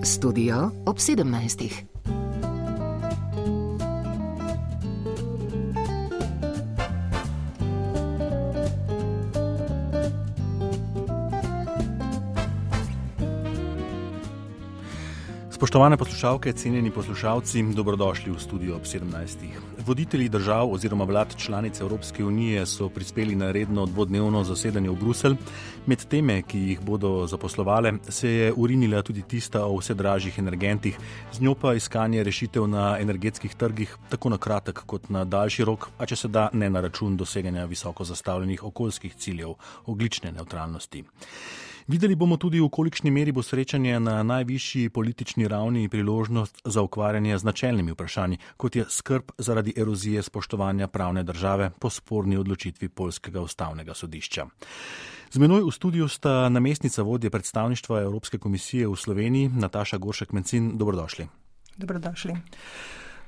Studio ob 17. Spoštovane poslušalke, cenjeni poslušalci, dobrodošli v studio ob 17. Voditelji držav oziroma vlad članic Evropske unije so prispeli na redno dvodnevno zasedanje v Bruselj. Med teme, ki jih bodo zaposlovale, se je urinila tudi tista o vse dražjih energentih, z njo pa iskanje rešitev na energetskih trgih, tako na kratek kot na daljši rok, a če se da ne na račun doseganja visoko zastavljenih okoljskih ciljev ogljične nevtralnosti. Videli bomo tudi, v kolikšni meri bo srečanje na najvišji politični ravni priložnost za ukvarjanje z načelnimi vprašanji, kot je skrb zaradi erozije spoštovanja pravne države po sporni odločitvi Poljskega ustavnega sodišča. Z menoj v studiu sta namestnica vodje predstavništva Evropske komisije v Sloveniji, Nataša Goršek-Mencin. Dobrodošli. Dobrodošli.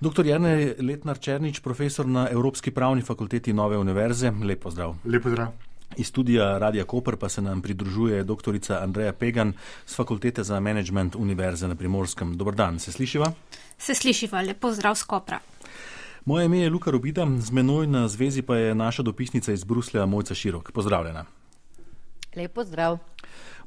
Dr. Jernej Letnar-Černič, profesor na Evropski pravni fakulteti Nove univerze. Lep pozdrav. Lep pozdrav. Iz studija Radia Koper pa se nam pridružuje doktorica Andreja Pegan z Fakultete za menedžment Univerze na Primorskem. Dobar dan, se slišiva? Se slišiva, lep pozdrav z Kopra. Moje ime je Luka Robida, z menoj na zvezi pa je naša dopisnica iz Bruslja Mojca Širok. Pozdravljena. Lep pozdrav.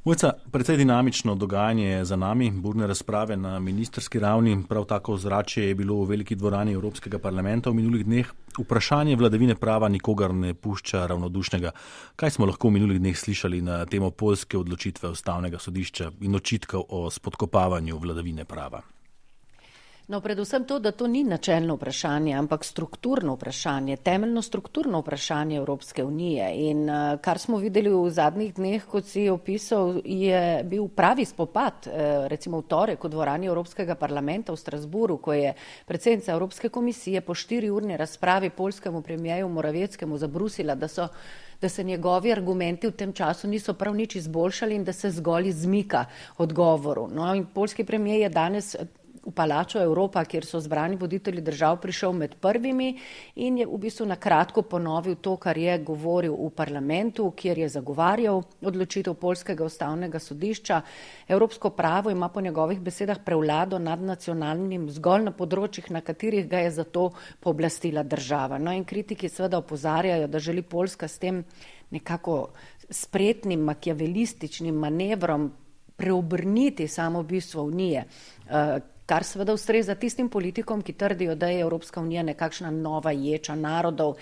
Mojca, precej dinamično dogajanje je za nami, burne razprave na ministerski ravni, prav tako zračje je bilo v veliki dvorani Evropskega parlamenta v minulih dneh. Vprašanje vladavine prava nikogar ne pušča ravnodušnega. Kaj smo lahko v minulih dneh slišali na temo poljske odločitve ustavnega sodišča in očitkov o spodkopavanju vladavine prava? No, predvsem to, da to ni načelno vprašanje, ampak strukturno vprašanje, temeljno strukturno vprašanje Evropske unije. In kar smo videli v zadnjih dneh, kot si opisal, je bil pravi spopad, recimo v torek v dvorani Evropskega parlamenta v Strasburu, ko je predsednica Evropske komisije po 4-urni razpravi poljskemu premijeju Moravieckemu zabrusila, da se njegovi argumenti v tem času niso prav nič izboljšali in da se zgolj izmika odgovoru. No, in poljski premijer je danes v Palaču Evropa, kjer so zbrani voditelji držav, prišel med prvimi in je v bistvu na kratko ponovil to, kar je govoril v parlamentu, kjer je zagovarjal odločitev Poljskega ustavnega sodišča. Evropsko pravo ima po njegovih besedah prevlado nad nacionalnim zgolj na področjih, na katerih ga je zato pooblastila država. No in kritiki seveda opozarjajo, da želi Poljska s tem nekako spretnim, makiavelističnim manevrom preobrniti samo bistvo Unije, kar seveda ustreza tistim politikom, ki trdijo, da je Evropska unija nekakšna nova ječa narodov.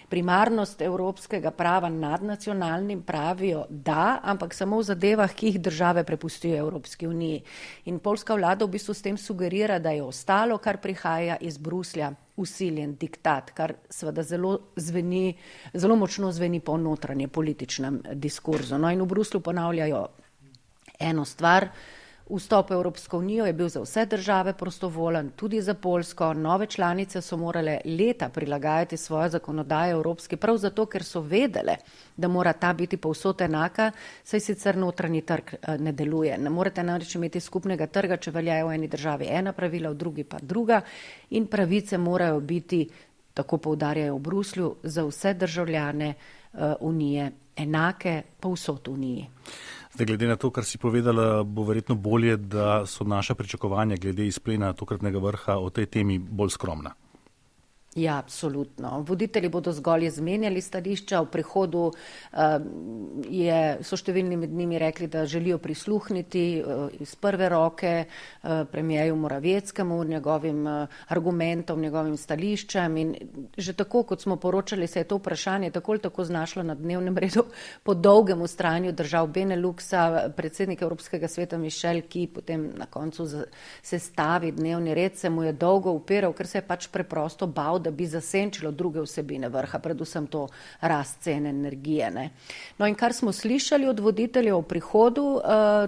Primarnost evropskega prava nad nacionalnim pravijo da, ampak samo v zadevah, ki jih države prepustijo Evropski uniji. In poljska vlada v bistvu s tem sugerira, da je ostalo, kar prihaja iz Bruslja, vsiljen diktat, kar seveda zelo močno zveni po notranje političnem diskurzu. No in v Bruslju ponavljajo eno stvar. Vstop v Evropsko unijo je bil za vse države prostovoljen, tudi za Poljsko. Nove članice so morale leta prilagajati svojo zakonodajo evropski, prav zato, ker so vedele, da mora ta biti povsod enaka, saj sicer notranji trg ne deluje. Ne morete namreč imeti skupnega trga, če veljajo v eni državi ena pravila, v drugi pa druga, in pravice morajo biti, tako poudarjajo v Bruslju, za vse državljane unije enake povsod v uniji. Zdaj, glede na to, kar si povedala, bo verjetno bolje, da so naša pričakovanja glede izplena tokratnega vrha o tej temi bolj skromna. Ja, absolutno. Voditelji bodo zgolj izmenjali stališča. V prihodu so številni med njimi rekli, da želijo prisluhniti iz prve roke premijeju Moravieckemu, njegovim argumentom, njegovim stališčem. In že tako, kot smo poročali, se je to vprašanje tako ali tako znašlo na dnevnem redu po dolgem vztrajanju držav Beneluxa. Predsednik Evropskega sveta Michel, ki potem na koncu sestavi dnevni red, se mu je dolgo upiral, ker se je pač preprosto bal, da bi zasenčilo druge vsebine vrha, predvsem to rast cene energije. Ne. No in kar smo slišali od voditeljev v prihodu,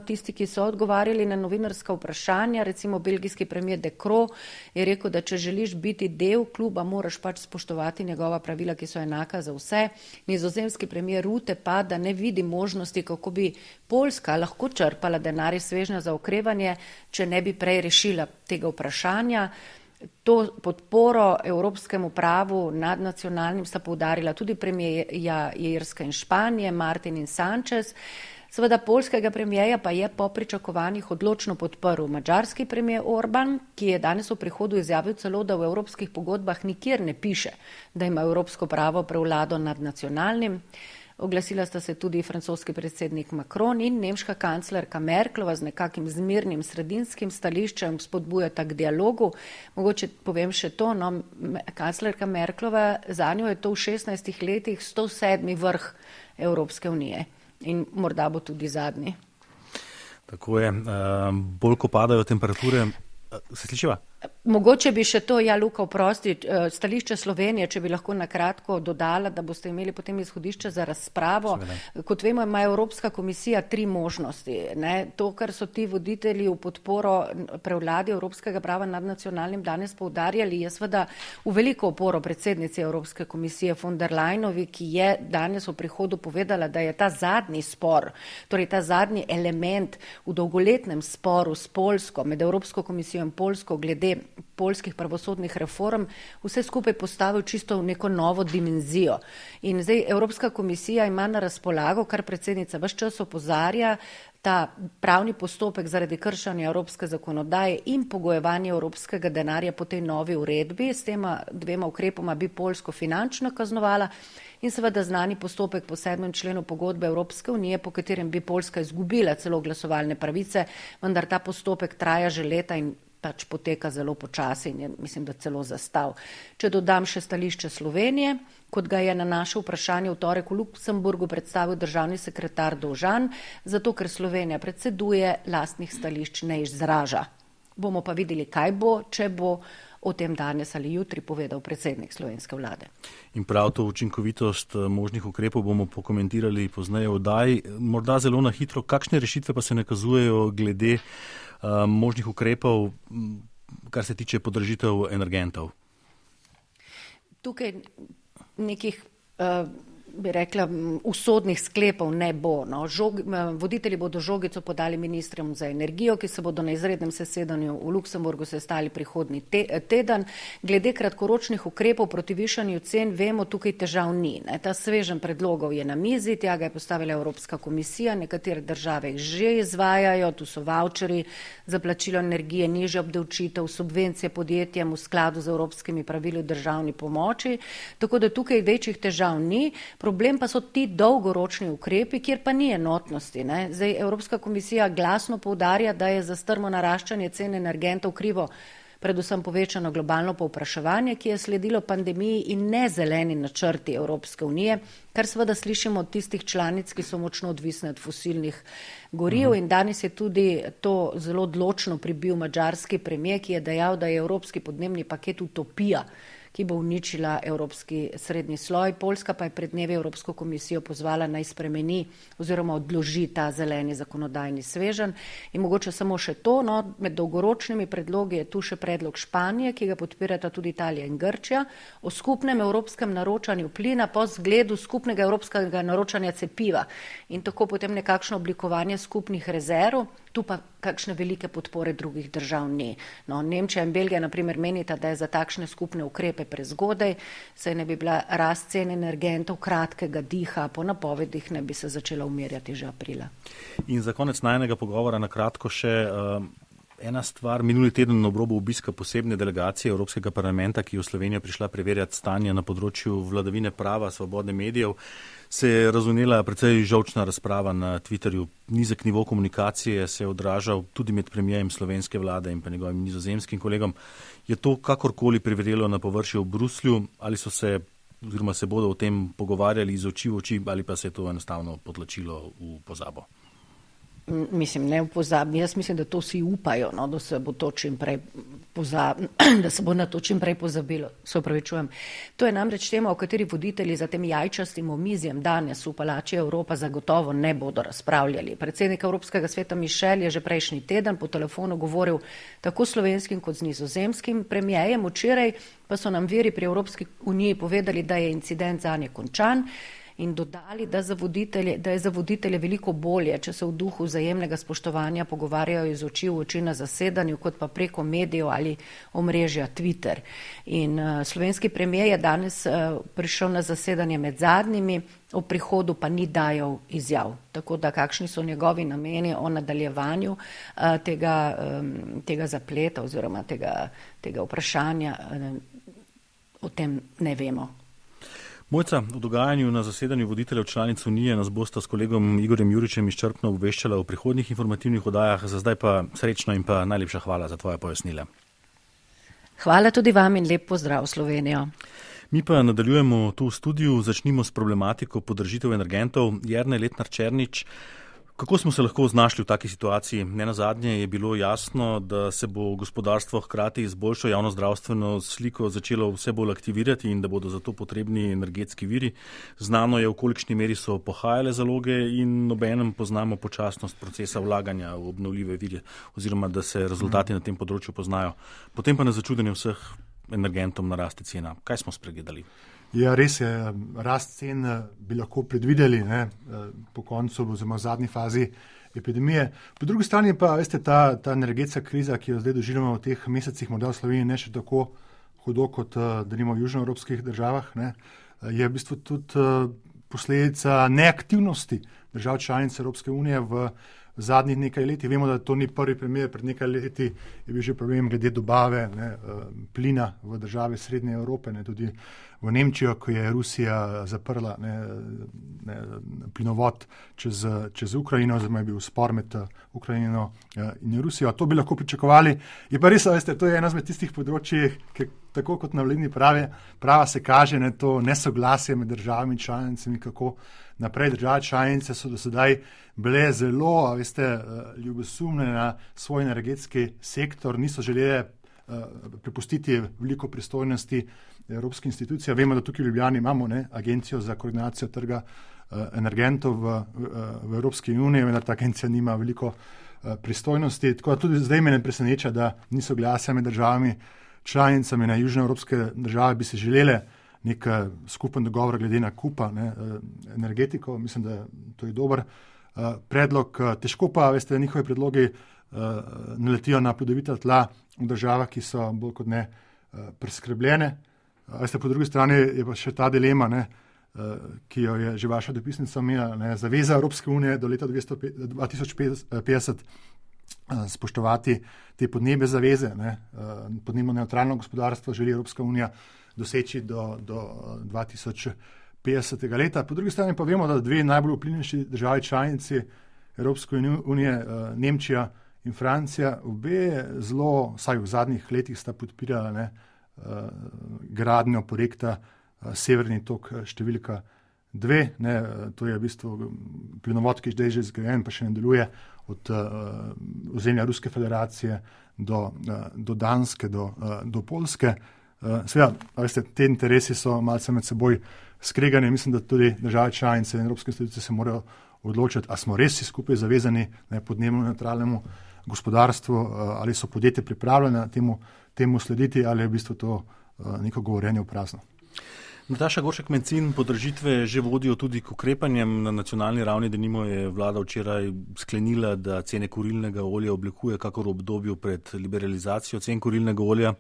tisti, ki so odgovarjali na novinarska vprašanja, recimo belgijski premier De Croo je rekel, da če želiš biti del kluba, moraš pač spoštovati njegova pravila, ki so enaka za vse. Nizozemski premier Rutte pa, da ne vidi možnosti, kako bi Poljska lahko črpala denar iz svežnja za okrevanje, če ne bi prej rešila tega vprašanja. To podporo evropskemu pravu nadnacionalnim sta poudarila tudi premijerja Irske in Španije, Martin in Sanchez. Seveda poljskega premijeja pa je po pričakovanjih odločno podprl madžarski premijer Orban, ki je danes v prihodu izjavil celo, da v evropskih pogodbah nikjer ne piše, da ima evropsko pravo prevlado nad nacionalnim. Oglasila sta se tudi francoski predsednik Macron in nemška kanclerka Merklova z nekakim zmirnim sredinskim stališčem spodbujata k dialogu. Mogoče povem še to, kanclerka Merklova, zanjo je to v 16 letih 107. vrh Evropske unije in morda bo tudi zadnji. Tako je, bolj ko padajo temperature, se slišiva? Mogoče bi še to, Luka, oprosti, stališče Slovenije, če bi lahko nakratko dodala, da boste imeli potem izhodišče za razpravo. Kot vemo, ima Evropska komisija 3 možnosti. To, kar so ti voditelji v podporo prevladi evropskega prava nad nacionalnim danes poudarjali, je seveda v veliko oporo predsednici Evropske komisije von der Leyenovi, ki je danes v prihodu povedala, da je ta zadnji spor, torej ta zadnji element v dolgoletnem sporu s Poljsko, med Evropsko komisijo in Poljsko glede poljskih pravosodnih reform, vse skupaj postavil čisto v neko novo dimenzijo. In zdaj Evropska komisija ima na razpolago, kar predsednica ves čas opozarja, ta pravni postopek zaradi kršanja evropske zakonodaje in pogojevanje evropskega denarja po tej novi uredbi. S tema 2 ukrepoma bi Poljsko finančno kaznovala in seveda znani postopek po 7. členu pogodbe Evropske unije, po katerem bi Poljska izgubila celo glasovalne pravice, vendar ta postopek traja že leta in pač poteka zelo počasi in je, mislim, da celo zastav. Če dodam še stališče Slovenije, kot ga je na naše vprašanje v torek v Luksemburgu predstavil državni sekretar Dovžan, zato ker Slovenija predseduje, lastnih stališč ne izraža. Bomo pa videli, kaj bo, če bo o tem danes ali jutri povedal predsednik slovenske vlade. In prav to učinkovitost možnih ukrepov bomo pokomentirali pozneje v oddaji. Morda zelo na hitro, kakšne rešitve pa se nakazujejo glede možnih ukrepov, kar se tiče podražitev energentov? Tukaj nekih, bi rekla, usodnih sklepov ne bo. Voditelji bodo žogico podali ministrom za energijo, ki se bodo na izrednem zasedanju v Luksemburgu sestali prihodnji teden. Glede kratkoročnih ukrepov proti višanju cen, vemo, tukaj težav ni. Ta sveženj predlogov je na mizi, tja ga je postavila Evropska komisija, nekatere države jih že izvajajo, tu so vaučeri za plačilo energije, nižja obdavčitev, subvencije podjetjem v skladu z evropskimi pravili o državni pomoči, tako da tukaj večjih težav ni. Problem pa so ti dolgoročni ukrepi, kjer pa ni enotnosti. Zdaj Evropska komisija glasno poudarja, da je za strmo naraščanje cen energentov krivo predvsem povečano globalno povpraševanje, ki je sledilo pandemiji in ne zeleni načrti Evropske unije, kar seveda slišimo od tistih članic, ki so močno odvisne od fosilnih goriv. In danes je tudi to zelo odločno pribil madžarski premijer, ki je dejal, da je evropski podnebni paket utopija, ki bo uničila evropski srednji sloj. Poljska pa je pred dnevi Evropsko komisijo pozvala naj spremeni oziroma odloži ta zeleni zakonodajni sveženj. In mogoče samo še to, med dolgoročnimi predlogi je tu še predlog Španije, ki ga podpirata tudi Italija in Grčija, o skupnem evropskem naročanju plina po zgledu skupnega evropskega naročanja cepiva in tako potem nekakšno oblikovanje skupnih rezerv. Tu pa kakšne velike podpore drugih držav ni. Nemčija in Belgija na primer menita, da je za takšne skupne ukrepe prezgodaj, saj ne bi bila rast cen energentov kratkega diha, po napovedih ne bi se začela umirjati že aprila. In za konec najnega pogovora na kratko še ena stvar. Minuli teden na obrobu obiska posebne delegacije Evropskega parlamenta, ki je v Slovenijo prišla preverjati stanje na področju vladavine prava, svobode medijev, se je razvnela precej žolčna razprava na Twitterju. Nizek nivo komunikacije se je odražal tudi med premijerjem slovenske vlade in pa njegovim nizozemskim kolegom. Je to kakorkoli privrelo na površje v Bruslju ali so se oziroma se bodo o tem pogovarjali iz oči v oči ali pa se je to enostavno potlačilo v pozabo? Mislim, ne v pozabi. Jaz mislim, da to vsi upajo, da se bo to čim prej da se bo na to čim prej pozabilo. Se opravičujem. To je namreč tema, o kateri voditelji za tem jajčastim omizjem danes v Palači Evropa zagotovo ne bodo razpravljali. Predsednik Evropskega sveta Michel je že prejšnji teden po telefonu govoril tako slovenskim kot z nizozemskim premijejem. Včeraj pa so nam viri pri Evropski uniji povedali, da je incident zanje končan in dodali, da je za voditelje veliko bolje, če se v duhu vzajemnega spoštovanja pogovarjajo iz oči v oči na zasedanju, kot pa preko medijev ali omrežja Twitter. In slovenski premijer je danes prišel na zasedanje med zadnjimi, o prihodu pa ni dajal izjav. Tako da kakšni so njegovi nameni o nadaljevanju tega zapleta oziroma tega vprašanja, o tem ne vemo. Mojca, o dogajanju na zasedanju voditeljev članic Unije nas bosta s kolegom Igorjem Juričem izčrpno obveščala v prihodnjih informativnih oddajah. Za zdaj pa srečno in pa najlepša hvala za tvoje pojasnila. Hvala tudi vam in lep pozdrav Slovenijo. Mi pa nadaljujemo tu v studiu, začnimo s problematiko podražitev energentov. Jernej Letnar Černič, kako smo se lahko znašli v taki situaciji? Nenazadnje je bilo jasno, da se bo gospodarstvo hkrati z boljšo javnozdravstveno sliko začelo vse bolj aktivirati in da bodo za to potrebni energetski viri. Znano je, v kolikšni meri so pohajale zaloge in obenem poznamo počasnost procesa vlaganja v obnovljive vire oziroma da se rezultati na tem področju poznajo. Potem pa na začudenje vseh energentom naraste cena. Kaj smo spregledali? Ja, res je, rast cen bi lahko predvideli po koncu oziroma v zadnji fazi epidemije. Po drugi strani pa, veste, ta energetska kriza, ki jo zdaj doživljamo v teh mesecih, morda v Sloveniji ne še tako hudo kot denimo v južnoevropskih državah, je v bistvu tudi posledica neaktivnosti držav članic Evropske unije v zadnjih nekaj leti. Vemo, da to ni prvi primer, pred nekaj leti je bil že problem glede dobave plina v države Srednje Evrope, tudi v Nemčijo, ko je Rusija zaprla plinovod čez Ukrajino, oziroma je bil spor med Ukrajino in Rusijo. To bi lahko pričakovali. Je pa res, veste, to je ena izmed tistih področij, ki tako kot na vladni prava se kaže to nesoglasje med državami članicami, kako naprej. Države članice so do sedaj bile zelo, ljubosumne na svoj energetski sektor, niso želele prepustiti veliko pristojnosti evropske institucije. Vemo, da tukaj v Ljubljani imamo agencijo za koordinacijo trga energentov v Evropski uniji, vendar ta agencija nima veliko pristojnosti. Tako da tudi zdaj me ne preseneča, da niso glasja med državami članicami na južnoevropske države bi se želele nek skupen dogovor glede nakupa energetiko. Mislim, da to je dober predlog. Težko pa, veste, njihovi predlogi naletijo na plodovita tla v državah, ki so bolj kot ne preskrbljene. Veste, po drugi strani je pa še ta dilema, ki jo je že vaša dopisnica imela, zaveza Evropske unije do leta 2050 spoštovati te podnebne zaveze. Podnebno neutralno gospodarstvo želi Evropska unija doseči do 2050. leta. Po drugi strani pa vemo, da dve najbolj vplivnejši državi članici Evropske unije, Nemčija in Francija, obe zelo, vsaj v zadnjih letih sta podpirala gradnjo projekta Severni tok številka 2. To je v bistvu plinovod, ki je zdaj že zgrajen, pa še ne deluje od ozemlja Ruske federacije do Danske, do Poljske. Seveda, veste, te interesi so malce med seboj skregani. Mislim, da tudi države članice in evropske institucije se morajo odločiti, a smo res skupaj zavezani podnebno neutralnemu gospodarstvu, ali so podjetja pripravljena temu slediti, ali je v bistvu to neko govorjenje v prazno. Nataša Goršek-Mencin, podražitve že vodijo tudi k ukrepanjem na nacionalni ravni, denimo je vlada včeraj sklenila, da cene kurilnega olja oblikuje kakor v obdobju pred liberalizacijo cen kurilnega olja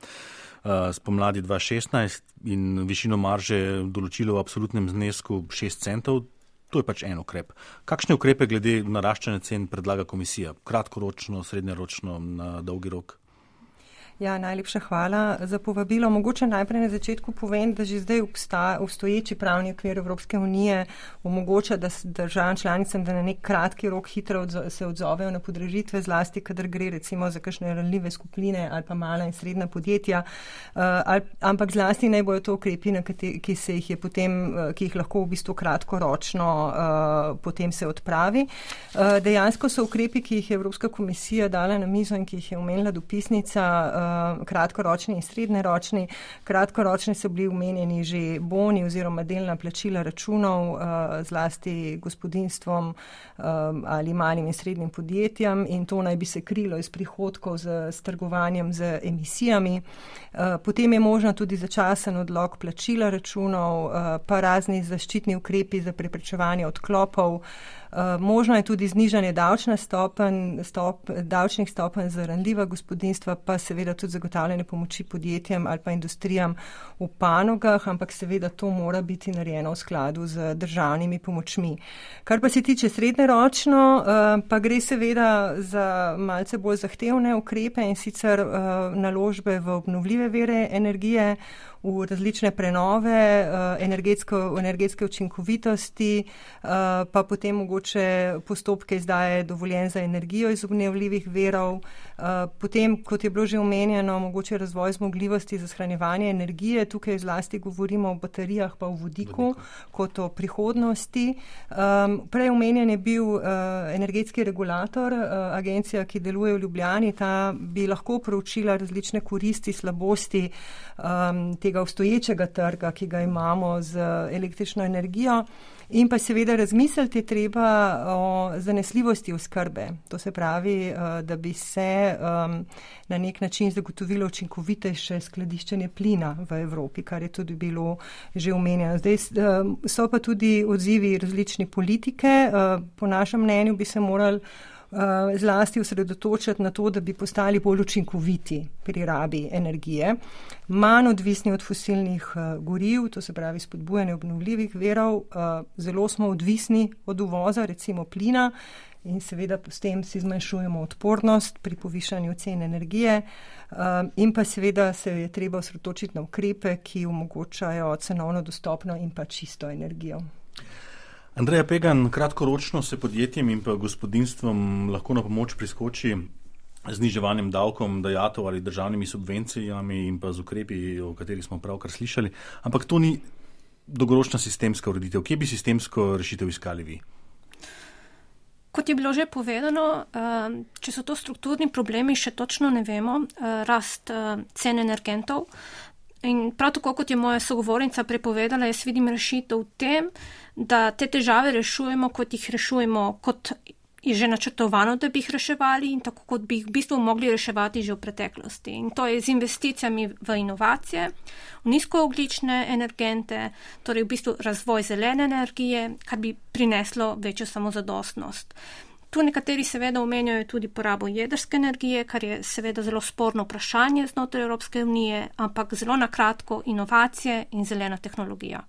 spomladi 2016 in višino marže določilo v absolutnem znesku 6 centov. To je pač en ukrep. Kakšne ukrepe glede naraščanja cen predlaga komisija? Kratkoročno, srednjeročno, na dolgi rok? Ja, najlepša hvala za povabilo. Mogoče najprej na začetku povem, da že zdaj obstoječi pravni okvir Evropske unije omogoča, da državam članicam, da na nek kratki rok hitro se odzovejo na podražitve, zlasti kadar gre recimo za kakšne ranljive skupine ali pa mala in srednja podjetja, ampak zlasti naj bojo to ukrepi, ki jih lahko v bistvu kratkoročno potem se odpravi. Dejansko so ukrepi, ki jih je Evropska komisija dala na mizo in ki jih je omenila dopisnica, kratkoročni in srednjeročni. Kratkoročni so bili omenjeni že boni oziroma delna plačila računov, zlasti gospodinjstvom ali malim in srednjim podjetjem, in to naj bi se krilo iz prihodkov s trgovanjem z emisijami. Potem je možno tudi začasen odlog plačila računov, pa razni zaščitni ukrepi za preprečevanje odklopov. Možno je tudi znižanje davčnih stopenj za ranljiva gospodinjstva, pa seveda tudi zagotavljanje pomoči podjetjem ali pa industrijam v panogah, ampak seveda to mora biti narejeno v skladu z državnimi pomočmi. Kar pa se tiče srednjeročno, pa gre seveda za malce bolj zahtevne ukrepe, in sicer naložbe v obnovljive vire energije, v različne prenove, energetske učinkovitosti, pa potem mogoče postopke izdaje dovoljenj za energijo iz obnovljivih virov. Potem, kot je bilo že omenjeno, mogoče razvoj zmogljivosti za shranjevanje energije. Tukaj zlasti govorimo o baterijah pa o vodiku kot o prihodnosti. Prej omenjen je bil energetski regulator, agencija, ki deluje v Ljubljani. Ta bi lahko proučila različne koristi, slabosti tega obstoječega trga, ki ga imamo z električno energijo, in pa seveda razmisliti je treba o zanesljivosti oskrbe. To se pravi, da bi se na nek način zagotovilo učinkovitejše skladiščenje plina v Evropi, kar je tudi bilo že omenjeno. Zdaj so pa tudi odzivi različne politike. Po našem mnenju bi se morali zlasti osredotočiti na to, da bi postali bolj učinkoviti pri rabi energije, manj odvisni od fosilnih goriv, to se pravi spodbujanje obnovljivih virov. Zelo smo odvisni od uvoza, recimo plina, in seveda s tem si zmanjšujemo odpornost pri povišanju cen energije, in pa seveda se je treba osredotočiti na ukrepe, ki omogočajo cenovno dostopno in pa čisto energijo. Andreja Pegan, kratkoročno se podjetjem in pa gospodinjstvom lahko na pomoč priskoči z zniževanjem davkom, dajatev ali državnimi subvencijami in pa z ukrepi, o katerih smo pravkar slišali, ampak to ni dolgoročna sistemska ureditev. Kje bi sistemsko rešitev iskali vi? Kot je bilo že povedano, če so to strukturni problemi, še točno ne vemo, rast cen energentov. In prav tako, kot je moja sogovornica prepovedala, jaz vidim rešitev v tem, da te težave rešujemo, kot jih rešujemo, kot je že načrtovano, da bi jih reševali, in tako, kot bi jih v bistvu mogli reševati že v preteklosti. In to je z investicijami v inovacije, v nizkoogljične energente, torej v bistvu razvoj zelene energije, kar bi prineslo večjo samozadostnost. Tu nekateri seveda omenjajo tudi porabo jedrske energije, kar je seveda zelo sporno vprašanje znotraj Evropske unije, ampak zelo na kratko inovacije in zelena tehnologija.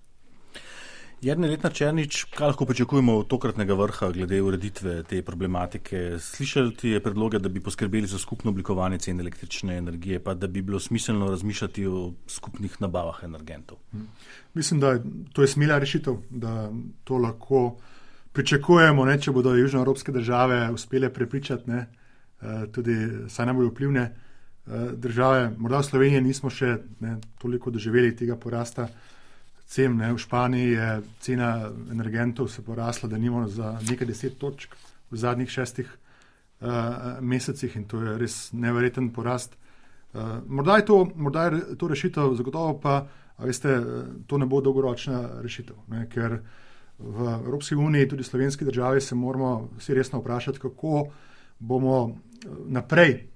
Jernej Letnar Černič, kaj lahko pričakujemo od tokratnega vrha glede ureditve te problematike? Slišali je predloge, da bi poskrbeli za skupno oblikovanje cen električne energije, pa da bi bilo smiselno razmišljati o skupnih nabavah energentov. Mislim, da to je smela rešitev, da to lahko pričakujemo, če bodo južnoevropske države uspele prepričati, tudi saj najbolj vplivne države. Morda v Sloveniji nismo še toliko doživeli tega porasta cen. V Španiji je cena energentov se porasla, da nimamo za nekaj 10 točk v zadnjih 6 mesecih, in to je res neverjeten porast. Morda je to rešitev, zagotovo pa, veste, to ne bo dolgoročna rešitev, ker v Evropski uniji, tudi slovenski državi, se moramo vsi resno vprašati, kako bomo naprej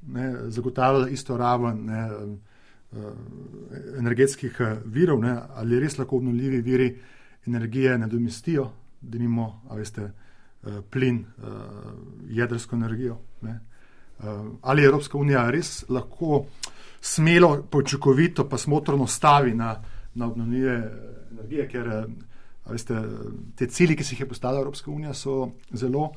zagotavljali isto raven energetskih virov, ali res lahko obnovljivi viri energije nadomestijo, denimo, plin, jedrsko energijo. Ali Evropska unija res lahko smelo, učinkovito pa smotrno stavi na obnovljive energije, ker te cilji, ki si jih je postavila Evropska unija, so zelo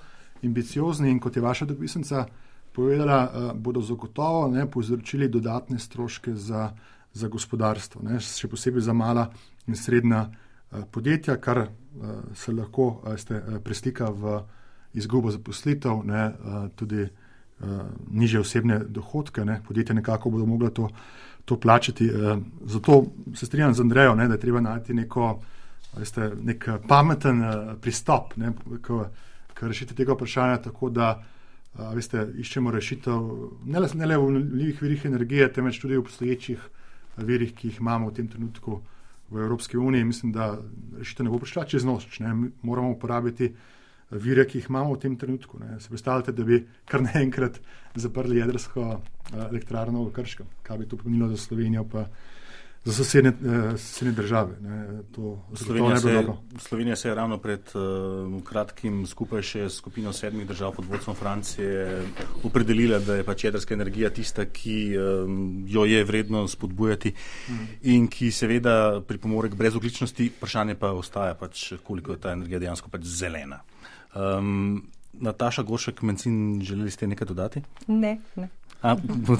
ambiciozni, in kot je vaša dopisnica povedala, bodo zagotovo povzročili dodatne stroške za gospodarstvo, še posebej za mala in srednja podjetja, kar se lahko preslika v izgubo zaposlitev, tudi nižje osebne dohodke. Podjetja nekako bodo mogla to plačati. Zato se strinjam z Andrejo, da je treba najti nek pameten pristop k rešitvi tega vprašanja, tako da iščemo rešitev ne le v obnovljivih virih energije, temveč tudi v obstoječih virih, ki jih imamo v tem trenutku v Evropski uniji. Mislim, da rešitev ne bo prišla čez noč. Moramo uporabiti vire, ki jih imamo v tem trenutku. Se predstavljate, da bi kar naenkrat zaprli jedrsko elektrarno v Krškem, kaj bi to pomenilo za Slovenijo, pa za sosednje države. Slovenija se je ravno pred kratkim skupaj še s skupino 7 držav pod vodstvom Francije opredelila, da je pač jedrska energija tista, ki jo je vredno spodbujati in ki seveda pripomore k brezogličnosti. Vprašanje pa ostaja pač, koliko je ta energija dejansko pač zelena. Nataša Goršek-Mencin, želeli ste nekaj dodati? Ne.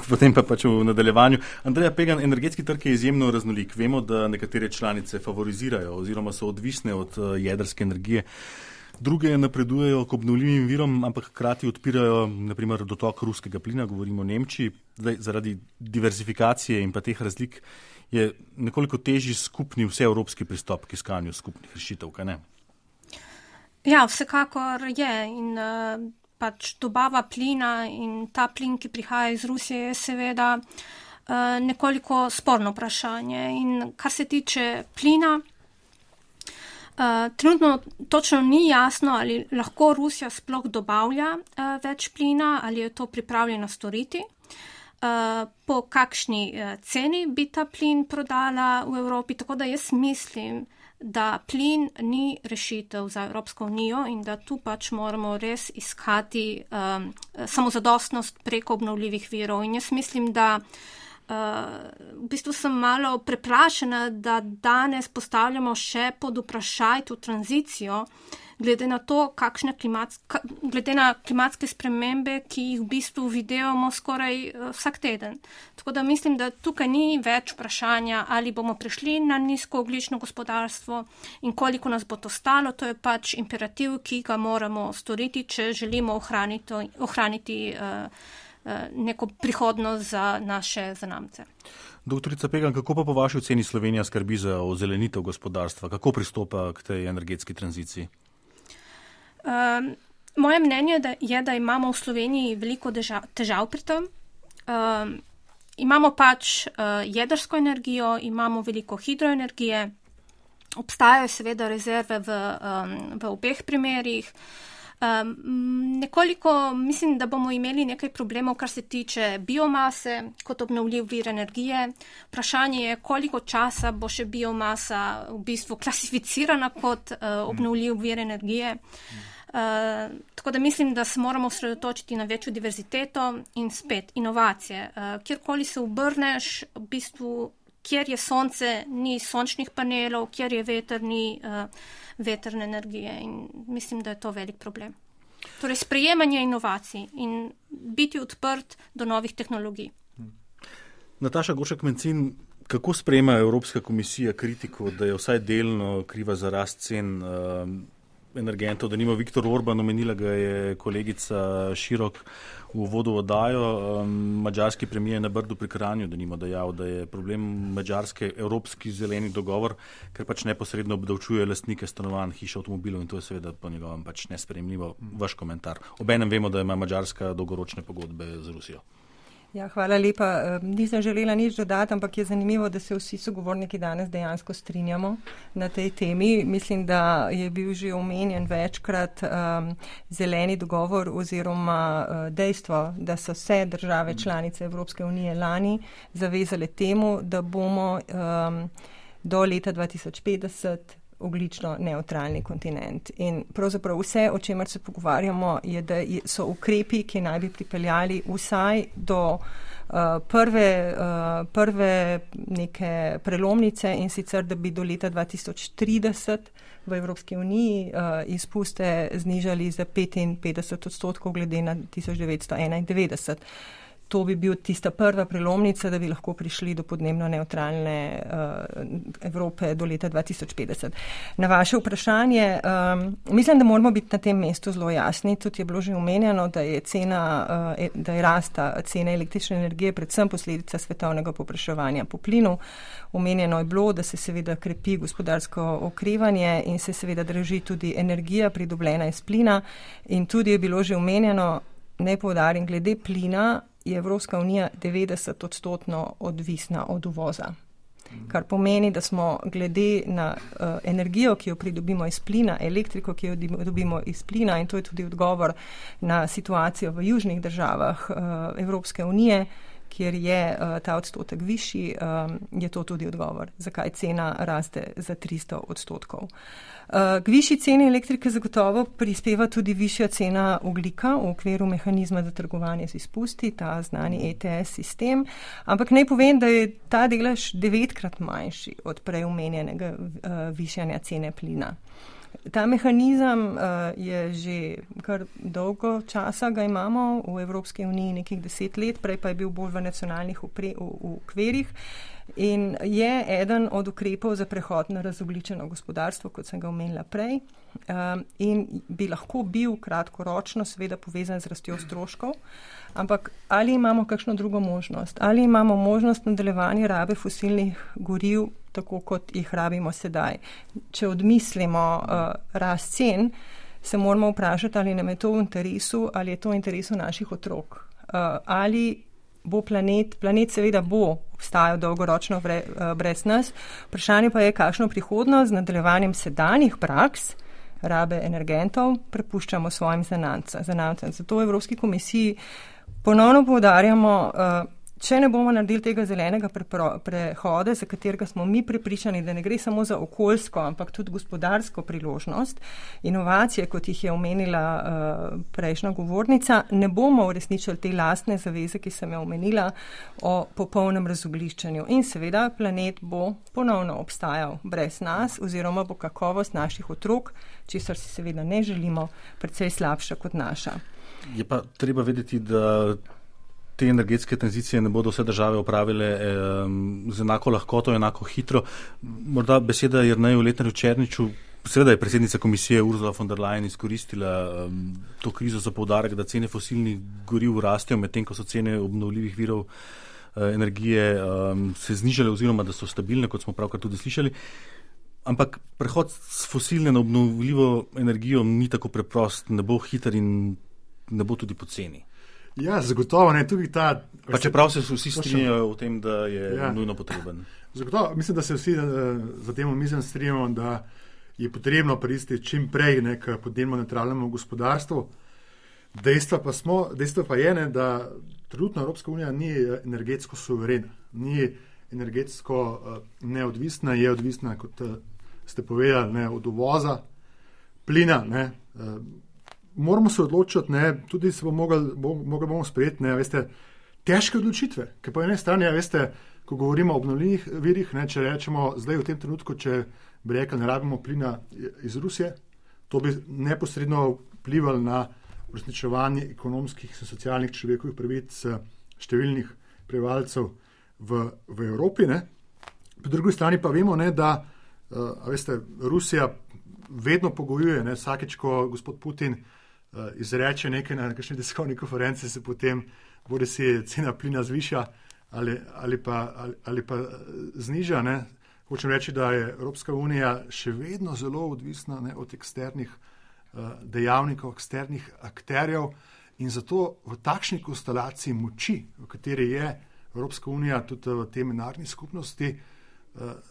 Potem pa pač v nadaljevanju. Andreja Pegan, energetski trg je izjemno raznolik. Vemo, da nekatere članice favorizirajo oziroma so odvisne od jedrske energije. Druge napredujejo k obnovljivim virom, ampak hkrati odpirajo naprimer dotok ruskega plina, govorimo o Nemčiji. Zaradi diversifikacije in pa teh razlik je nekoliko težji skupni vseevropski pristop k iskanju skupnih rešitev, kaj ne? Ja, vsekakor je in pač dobava plina in ta plin, ki prihaja iz Rusije, je seveda nekoliko sporno vprašanje. In kar se tiče plina, trenutno točno ni jasno, ali lahko Rusija sploh dobavlja več plina, ali je to pripravljena storiti. Po kakšni ceni bi ta plin prodala v Evropi, tako da jaz mislim, da plin ni rešitev za Evropsko unijo in da tu pač moramo res iskati samozadostnost preko obnovljivih virov. In jaz mislim, da v bistvu sem malo preplašena, da danes postavljamo še pod vprašaj to tranzicijo, glede na to, glede na klimatske spremembe, ki jih v bistvu vidimo skoraj vsak teden. Tako da mislim, da tukaj ni več vprašanja, ali bomo prišli na nizkoogljično gospodarstvo in koliko nas bo to stalo. To je pač imperativ, ki ga moramo storiti, če želimo ohraniti neko prihodnost za naše zanamce. Doktorica Pegan, kako pa po vaši oceni Slovenija skrbi za ozelenitev gospodarstva? Kako pristopa k tej energetski tranziciji? Moje mnenje je, da imamo v Sloveniji veliko težav pri tem. Imamo pač jedrsko energijo, imamo veliko hidroenergije, obstajajo seveda rezerve v obeh primerih. Nekoliko mislim, da bomo imeli nekaj problemov, kar se tiče biomase kot obnovljiv vir energije. Vprašanje je, koliko časa bo še biomasa v bistvu klasificirana kot obnovljiv vir energije. Tako da mislim, da se moramo osredotočiti na večjo diverziteto in spet inovacije. Kjerkoli se obrneš, v bistvu, kjer je sonce, ni sončnih panelov, kjer je veter, ni vetrne energije in mislim, da je to velik problem. Torej, sprejemanje inovacij in biti odprt do novih tehnologij. Nataša Goršek-Mencin, kako sprejema Evropska komisija kritiko, da je vsaj delno kriva za rast cen energentov, da nima Viktor Orban, omenila ga je kolegica Širok v uvodu v oddajo, madžarski premijer na Brdu pri Kranju, da nima dejal, da je problem Madžarske evropski zeleni dogovor, ker pač neposredno obdavčuje lastnike stanovanj, hiš, avtomobilov in to je seveda po njegovem pač nesprejemljivo. Vaš komentar. Obenem vemo, da ima Madžarska dolgoročne pogodbe z Rusijo. Ja, hvala lepa. Nisem želela nič dodati, ampak je zanimivo, da se vsi sogovorniki danes dejansko strinjamo na tej temi. Mislim, da je bil že omenjen večkrat zeleni dogovor oziroma dejstvo, da so vse države članice Evropske unije lani zavezale temu, da bomo do leta 2050 ogljično nevtralni kontinent. In pravzaprav vse, o čemer se pogovarjamo, je, da so ukrepi, ki naj bi pripeljali vsaj do prve neke prelomnice in sicer, da bi do leta 2030 v Evropski uniji izpuste znižali za 55% glede na 1991. To bi bil tista prva prelomnica, da bi lahko prišli do podnebno nevtralne Evrope do leta 2050. Na vaše vprašanje, mislim, da moramo biti na tem mestu zelo jasni. Tudi je bilo že omenjeno, da je rasta cene električne energije predvsem posledica svetovnega povpraševanja po plinu. Omenjeno je bilo, da se seveda krepi gospodarsko okrevanje in se seveda draži tudi energija pridobljena iz plina. In tudi je bilo že omenjeno, naj poudarim, glede plina je Evropska unija 90% odvisna od uvoza. Kar pomeni, da smo glede na energijo, ki jo pridobimo iz plina, elektriko, ki jo dobimo iz plina, in to je tudi odgovor na situacijo v južnih državah Evropske unije, kjer je ta odstotek višji, je to tudi odgovor, zakaj cena raste za 300%. K višji ceni elektrike zagotovo prispeva tudi višja cena ogljika v okviru mehanizma za trgovanje z izpusti, ta znani ETS sistem, ampak naj povem, da je ta delež 9-krat manjši od prej omenjenega višanja cene plina. Ta mehanizem je že kar dolgo časa ga imamo v Evropski uniji, nekih 10 let, prej pa je bil bolj v nacionalnih okvirih in je eden od ukrepov za prehod na razogljičeno gospodarstvo, kot sem ga omenila prej, in bi lahko bil kratkoročno seveda povezan z rastjo stroškov, ampak ali imamo kakšno drugo možnost? Ali imamo možnost nadaljevanja rabe fosilnih goriv, tako kot jih rabimo sedaj? Če odmislimo rast cen, se moramo vprašati, ali nam je to v interesu, ali je to v interesu naših otrok. Ali bo planet seveda bo obstajal dolgoročno brez nas. Vprašanje pa je, kakšno prihodnost z nadaljevanjem sedanjih praks rabe energentov prepuščamo svojim zanamcem. Zato v Evropski komisiji ponovno poudarjamo, če ne bomo naredili tega zelenega prehoda, za katerega smo mi prepričani, da ne gre samo za okoljsko, ampak tudi gospodarsko priložnost, inovacije, kot jih je omenila prejšnja govornica, ne bomo uresničili te lastne zaveze, ki sem jo omenila, o popolnem razogliščenju. In seveda planet bo ponovno obstajal brez nas, oziroma bo kakovost naših otrok, česar si seveda ne želimo, precej slabša kot naša. Je pa treba vedeti, da te energetske tranzicije ne bodo vse države opravile z enako lahkoto, enako hitro. Morda beseda Jerneju Letnarju-Černiču, seveda je predsednica komisije Ursula von der Leyen izkoristila to krizo za poudarek, da cene fosilnih goriv rastejo, medtem ko so cene obnovljivih virov energije se znižale oziroma da so stabilne, kot smo pravkar tudi slišali. Ampak prehod s fosilne na obnovljivo energijo ni tako preprost, ne bo hiter in ne bo tudi poceni. Ja, zagotovo ne, tudi ta... Pa čeprav se vsi strinjajo o tem, da je nujno potreben. Zagotovo, mislim, da se vsi za tem omizem strinjamo, da je potrebno pristiti čim prej k podnebno nevtralnemu gospodarstvu. Dejstvo pa je, da trenutno Evropska unija ni energetsko suverena, ni energetsko neodvisna, je odvisna, kot ste povedali, ne, od uvoza plina, ne. Moramo se odločiti, ne, tudi se bomo sprejeti, ne, veste, težke odločitve, ker po eni strani, veste, ko govorimo o obnovljivih virih, ne, če rečemo zdaj v tem trenutku, če bi rekli, ne rabimo plina iz Rusije, to bi neposredno vplivalo na uresničevanje ekonomskih in socialnih človekovih pravic številnih prebivalcev v Evropi, ne. Po drugi strani pa vemo, ne, da veste, Rusija vedno pogojuje, ne, vsakeč, ko gospod Putin izreče nekaj na kakšni tiskovni konferenci, se potem bodi si cena plina zviša ali pa zniža. Ne. Hočem reči, da je Evropska unija še vedno zelo odvisna, ne, od eksternih dejavnikov, eksternih akterjev in zato v takšni konstelaciji moči, v kateri je Evropska unija tudi v tej mednarodni skupnosti,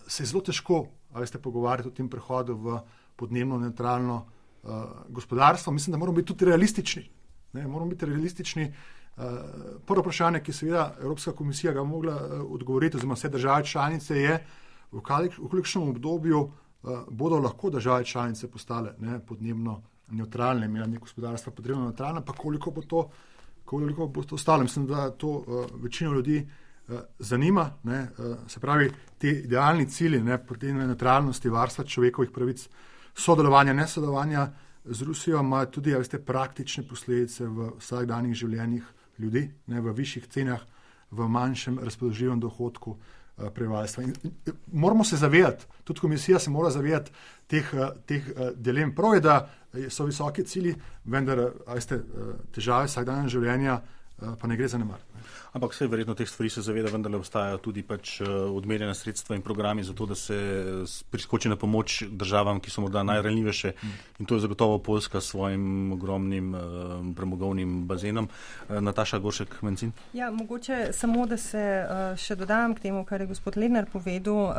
se je zelo težko, pogovarjati o tem prehodu v podnebno nevtralno gospodarstvo. Mislim, da moramo biti tudi realistični. Ne, moramo biti realistični. Prvo vprašanje, ki seveda Evropska komisija ga mogla odgovoriti, oziroma vse države članice, je, v kolikšnem obdobju bodo lahko države članice postale, ne, podnebno nevtralne, imeli gospodarstva podnebno nevtralne, pa koliko bo to stalo. Mislim, da to večino ljudi zanima, ne, se pravi, te idealni cilji, ne, podnebne nevtralnosti, varstva človekovih pravic, sodelovanja, nesodelovanja z Rusijo ima tudi, veste, praktične posledice v vsakdanjih življenjih ljudi, ne, v višjih cenah, v manjšem razpoložljivem dohodku prebivalstva. Moramo se zavedati, tudi komisija se mora zavedati teh dilem. Prav je, da so visoki cilji, vendar, veste, težave vsakdanjega življenja pa ne gre zanemariti. Ampak vse verjetno teh stvari se zaveda, vendarle obstajajo tudi pač odmerjena sredstva in programi za to, da se priskoči na pomoč državam, ki so morda najranljivejše, in to je zagotovo Poljska s svojim ogromnim premogovnim bazenom. Nataša Goršek-Mencin. Ja, mogoče samo, da se še dodam k temu, kar je gospod Lednar povedal.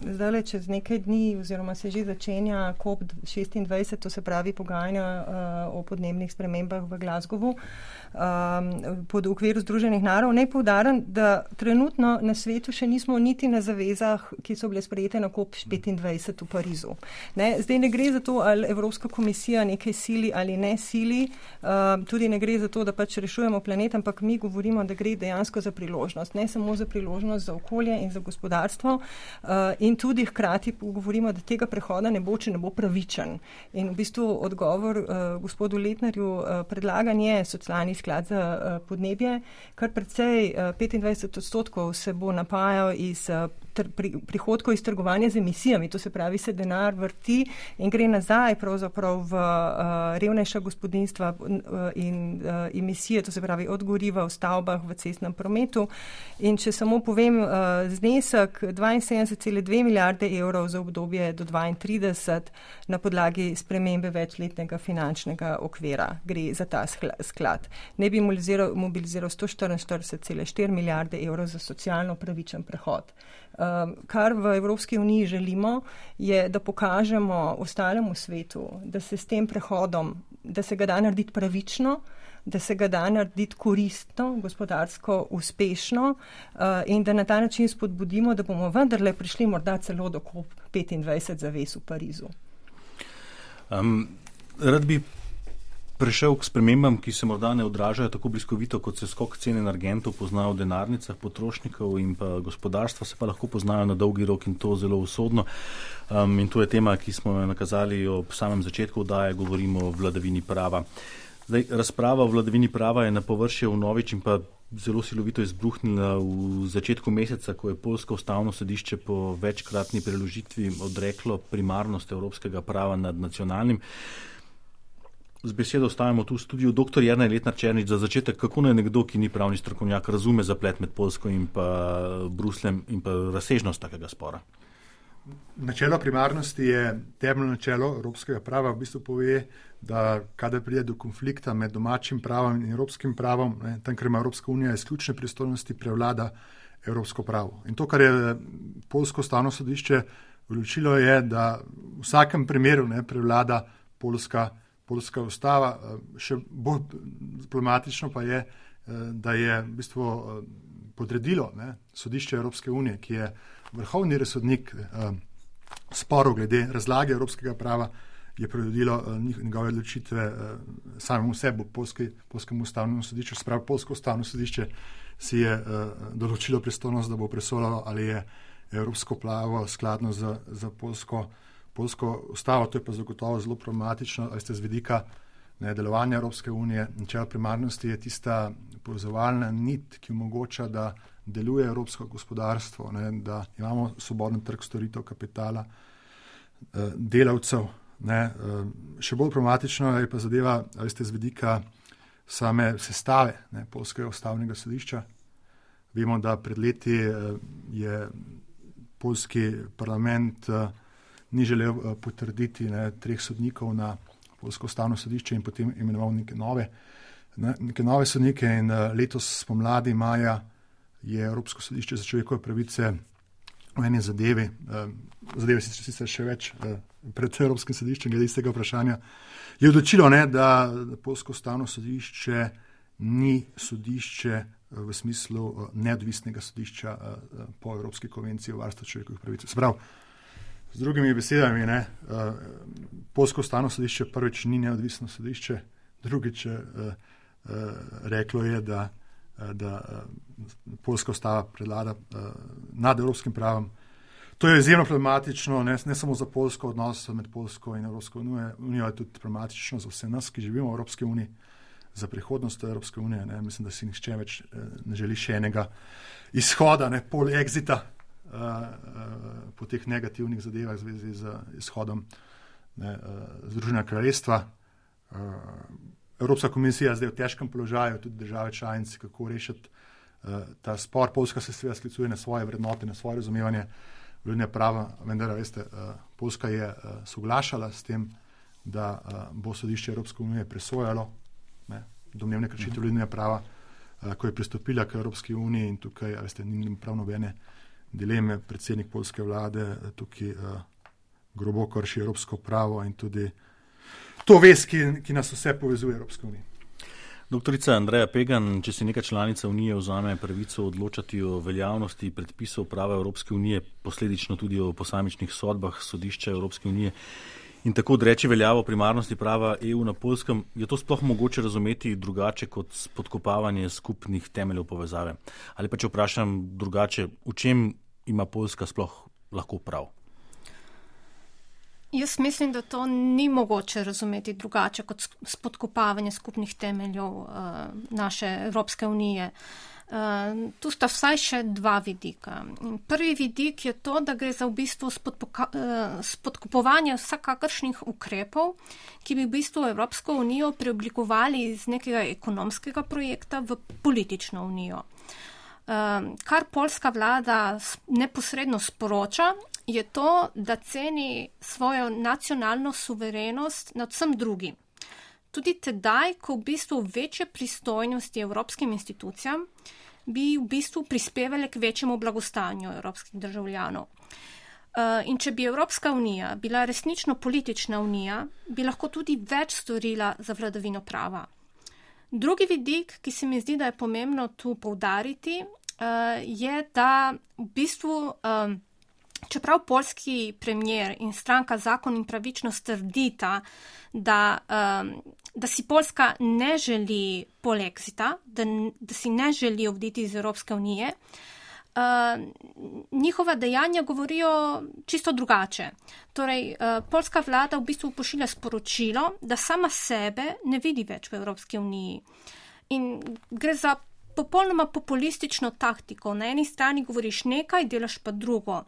Zdaj čez nekaj dni oziroma se že začenja COP26, to se pravi pogajanja o podnebnih spremembah v Glasgowu pod okviru Združenih narodov. Naj poudarim, da trenutno na svetu še nismo niti na zavezah, ki so bile sprejete na COP25 v Parizu. Zdaj ne gre za to, ali Evropska komisija nekaj sili ali ne sili, tudi ne gre za to, da pač rešujemo planet, ampak mi govorimo, da gre dejansko za priložnost. Ne samo za priložnost za okolje in za gospodarstvo in tudi hkrati govorimo, da tega prehoda ne bo, če ne bo pravičen. In v bistvu odgovor gospodu Letnarju predlagan je socialni sklad za podnebje, kar precej 25% se bo napajal iz prihodkov iz trgovanja z emisijami, to se pravi, se denar vrti in gre nazaj pravzaprav v revnejša gospodinjstva in emisije, to se pravi od goriva v stavbah, v cestnem prometu. In če samo povem znesek 72,2 milijarde evrov za obdobje do 2032 na podlagi spremembe večletnega finančnega okvira gre za ta sklad. Ne bi mobiliziral 144,4 milijarde evrov za socialno pravičen prehod. Kar v Evropski uniji želimo, je, da pokažemo ostalemu svetu, da se s tem prehodom, da se ga da narediti pravično, da se ga da narediti koristno, gospodarsko uspešno in da na ta način spodbudimo, da bomo vendarle prišli morda celo do COP25 zavez v Parizu. Rad bi prešel k spremembam, ki se morda ne odražajo tako bliskovito, kot se skok cen energentov poznajo v denarnicah potrošnikov in pa gospodarstva, se pa lahko poznajo na dolgi rok in to zelo usodno. In to je tema, ki smo jo nakazali ob samem začetku oddaje, govorimo o vladavini prava. Zdaj, razprava o vladavini prava je na površje vnovič in pa zelo silovito izbruhnila v začetku meseca, ko je Poljsko ustavno sodišče po večkratni preložitvi odreklo primarnost evropskega prava nad nacionalnim. Z besedo ostajamo tu v studiu. Dr. Jernej Letnar-Černič, za začetek, kako naj nekdo, ki ni pravni strokovnjak, razume zaplet med Poljsko in pa Brusljem in pa razsežnost takega spora? Načelo primarnosti je temeljno načelo evropskega prava. V bistvu pove, da kadar pride do konflikta med domačim pravom in evropskim pravom, tam, ker ima Evropska unija izključne pristojnosti, prevlada evropsko pravo. In to, kar je Poljsko ustavno sodišče odločilo, je, da v vsakem primeru prevlada Poljska ustava. Še bolj problematično pa je, da je v bistvu podredilo sodišče Evropske unije, ki je vrhovni razsodnik sporov glede razlage evropskega prava, je podredilo njegove odločitve samemu sebi, Poljskemu ustavnemu sodišču. Sprav Poljsko ustavno sodišče si je določilo pristojnost, da bo presodilo, ali je evropsko pravo skladno za Poljsko ustavo. To je pa zagotovo zelo problematično, ali ste z vidika delovanja Evropske unije. Načelo primarnosti je tista povezovalna nit, ki omogoča, da deluje evropsko gospodarstvo, da imamo svoboden trg storitev, kapitala, delavcev. Še bolj problematično je pa zadeva, ali ste z vidika same sestave Poljskega ustavnega sodišča. Vemo, da pred leti je poljski parlament ni želel potrditi 3 sodnikov na Poljsko ustavno sodišče in potem imenoval neke nove sodnike in letos spomladi maja je Evropsko sodišče za človekove pravice v eni zadeve sicer še več pred Evropskim sodiščem glede istega vprašanja, je odločilo, da Poljsko ustavno sodišče ni sodišče v smislu neodvisnega sodišča po Evropski konvenciji o varstvu človekovih pravic. Sprav, z drugimi besedami, Poljsko ustavno sodišče prvič ni neodvisno sodišče, drugič reklo je, da Poljska ustava prevlada nad evropskim pravom. To je izjemno problematično, ne samo za Poljsko, odnos med Poljsko in Evropsko unijo, je tudi problematično za vse nas, ki živimo v Evropski uniji, za prihodnost Evropske unije. Mislim, da si nihče več ne želi še enega izhoda, pol exita po teh negativnih zadevah v zvezi z izhodom Združenega kraljestva. Evropska komisija zdaj v težkem položaju, tudi države članice, kako rešiti ta spor. Poljska se seveda sklicuje na svoje vrednote, na svoje razumevanje vladavine prava, vendar veste, Poljska je soglašala s tem, da bo sodišče Evropske unije presojalo domnevne kršitve vladavine prava, ko je pristopila k Evropski uniji, in tukaj, veste, ni prav nobene dileme. Predsednik poljske vlade tukaj grobo krši evropsko pravo in tudi to vez, ki nas vse povezuje Evropske unije. Doktorica Andreja Pegan, če si neka članica Unije vzame pravico odločati o veljavnosti predpisov prava Evropske unije, posledično tudi o posamičnih sodbah sodišča Evropske unije in tako odreči veljavo primarnosti prava EU na Poljskem, je to sploh mogoče razumeti drugače kot spodkopavanje skupnih temeljev povezave? Ali pa če vprašam drugače, v čem ima Poljska sploh lahko prav? Jaz mislim, da to ni mogoče razumeti drugače kot spodkopavanje skupnih temeljev naše Evropske unije. Tu sta vsaj še dva vidika. Prvi vidik je to, da gre za v bistvu spodkopovanje vsakakršnih ukrepov, ki bi v bistvu Evropsko unijo preoblikovali iz nekega ekonomskega projekta v politično unijo. Kar poljska vlada neposredno sporoča, je to, da ceni svojo nacionalno suverenost nad vsem drugim. Tudi tedaj, ko v bistvu večje pristojnosti evropskim institucijam bi v bistvu prispevali k večjemu blagostanju evropskih državljanov. In če bi Evropska unija bila resnično politična unija, bi lahko tudi več storila za vladavino prava. Drugi vidik, ki se mi zdi, da je pomembno tu poudariti, je, da v bistvu čeprav poljski premijer in stranka Zakon in pravičnost trdita, da si Poljska ne želi polexita, da si ne želi oditi iz Evropske unije, njihova dejanja govorijo čisto drugače. Torej, poljska vlada v bistvu pošilja sporočilo, da sama sebe ne vidi več v Evropski uniji. In gre za popolnoma populistično taktiko. Na eni strani govoriš nekaj, delaš pa drugo.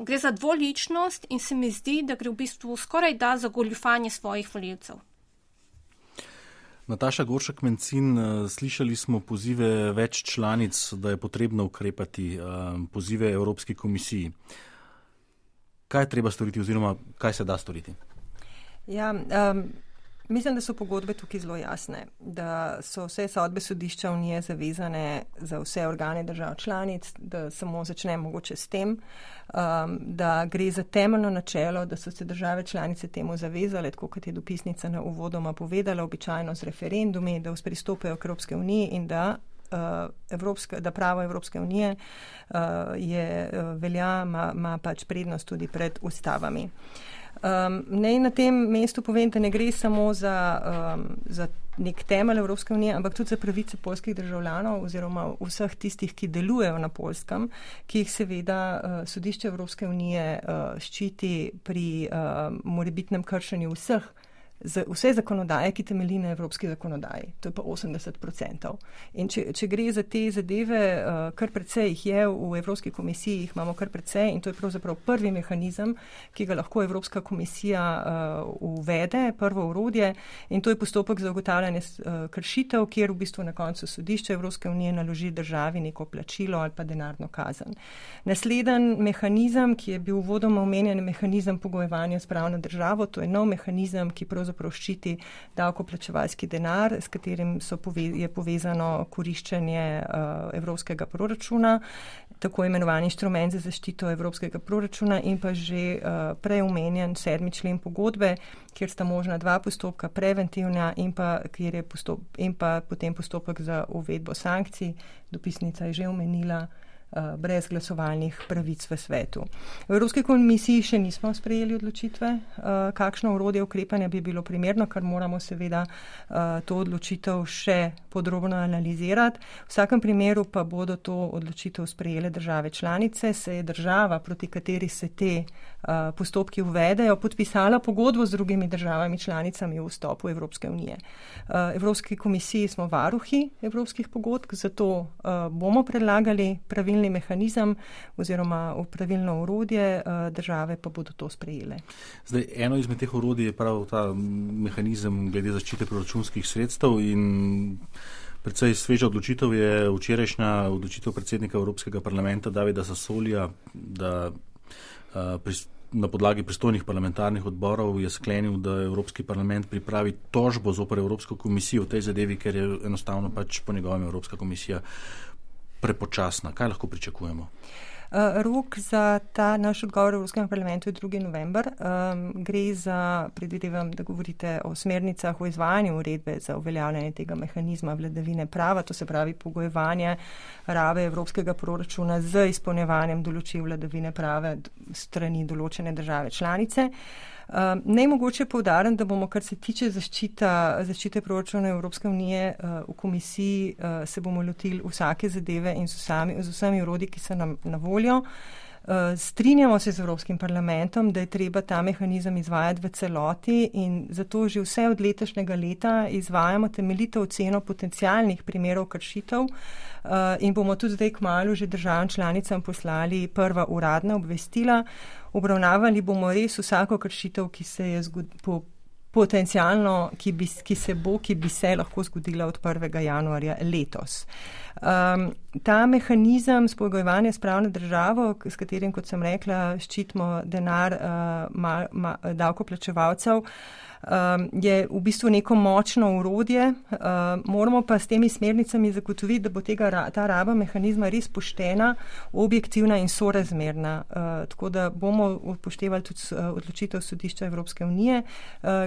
Gre za dvoličnost in se mi zdi, da gre v bistvu skoraj da za goljufanje svojih volivcev. Nataša Goršek-Mencin, slišali smo pozive več članic, da je potrebno ukrepati, pozive Evropski komisiji. Kaj je treba storiti oziroma kaj se da storiti? Ja, mislim, da so pogodbe tukaj zelo jasne, da so vse sodbe sodišča Unije zavezane za vse organe držav članic, da samo začne mogoče s tem, da gre za temeljno načelo, da so se države članice temu zavezale, tako kot je dopisnica na uvodoma povedala, običajno z referendumi, da pristopajo k Evropske uniji in da pravo Evropske unije ima pač prednost tudi pred ustavami. Naj na tem mestu povem, da ne gre samo za nek temelj Evropske unije, ampak tudi za pravice poljskih državljanov oziroma vseh tistih, ki delujejo na Poljskem, ki jih seveda sodišče Evropske unije ščiti pri morebitnem kršenju vse zakonodaje, ki temelji na evropski zakonodaji. To je pa 80%. In če gre za te zadeve, kar precej jih je v Evropski komisiji, jih imamo kar precej in to je pravzaprav prvi mehanizem, ki ga lahko Evropska komisija uvede, prvo orodje, in to je postopek za ugotavljanje kršitev, kjer v bistvu na koncu sodišče Evropske unije naloži državi neko plačilo ali pa denarno kazen. Nasleden mehanizem, ki je bil uvodoma omenjen, mehanizem pogojevanja s pravno državo, to je nov mehanizem, ki pravzaprav ščiti davkoplačevalski denar, s katerim je povezano koriščenje evropskega proračuna, tako imenovani inštrument za zaščito evropskega proračuna in pa že prej omenjen 7. člen pogodbe, kjer sta možna dva postopka, preventivna in pa potem postopek za uvedbo sankcij. Dopisnica je že omenila brez glasovalnih pravic v svetu. V Evropski komisiji še nismo sprejeli odločitve, kakšno orodje ukrepanja bi bilo primerno, kar moramo seveda to odločitev še podrobno analizirati. V vsakem primeru pa bodo to odločitev sprejele države članice, se je država, proti kateri se te postopki uvedejo, podpisala pogodbo z drugimi državami članicami v vstopu Evropske unije. Evropski komisiji smo varuhi evropskih pogodb, zato bomo predlagali pravilne pravilni mehanizem oziroma pravilno orodje, države pa bodo to sprejele. Zdaj, eno izmed teh orodij je prav ta mehanizem glede zaščite proračunskih sredstev in predvsej sveža odločitev je včerajšnja odločitev predsednika Evropskega parlamenta Davida Sassolija, da na podlagi pristojnih parlamentarnih odborov je sklenil, da Evropski parlament pripravi tožbo zoper Evropsko komisijo v tej zadevi, ker je enostavno pač po njegovem Evropska komisija prepočasna. Kaj lahko pričakujemo? Rok za ta naš odgovor v Evropskem parlamentu je 2. november. Gre za, predvidevam, da govorite o smernicah o izvajanju uredbe za uveljavljanje tega mehanizma vladavine prava, to se pravi pogojevanje rabe evropskega proračuna z izpolnjevanjem določil vladavine prava strani določene države članice. Najmogoče poudarim, da bomo, kar se tiče zaščite proračuna Evropske unije, v komisiji se bomo lotili vsake zadeve in z vsemi orodji, ki so nam na voljo. Strinjamo se z Evropskim parlamentom, da je treba ta mehanizem izvajati v celoti in zato že vse od letošnjega leta izvajamo temeljito oceno potencialnih primerov kršitev in bomo tudi zdaj kmalu že državam članicam poslali prva uradna obvestila. Obravnavali bomo res vsako kršitev, ki se je potencialno, ki bi se lahko zgodila od 1. januarja letos. Ta mehanizem spogojevanja s pravno državo, s katerim, kot sem rekla, ščitimo denar davkoplačevalcev, je v bistvu neko močno orodje. Moramo pa s temi smernicami zagotoviti, da bo ta raba mehanizma res poštena, objektivna in sorazmerna. Tako da bomo upoštevali tudi odločitev Sodišča Evropske unije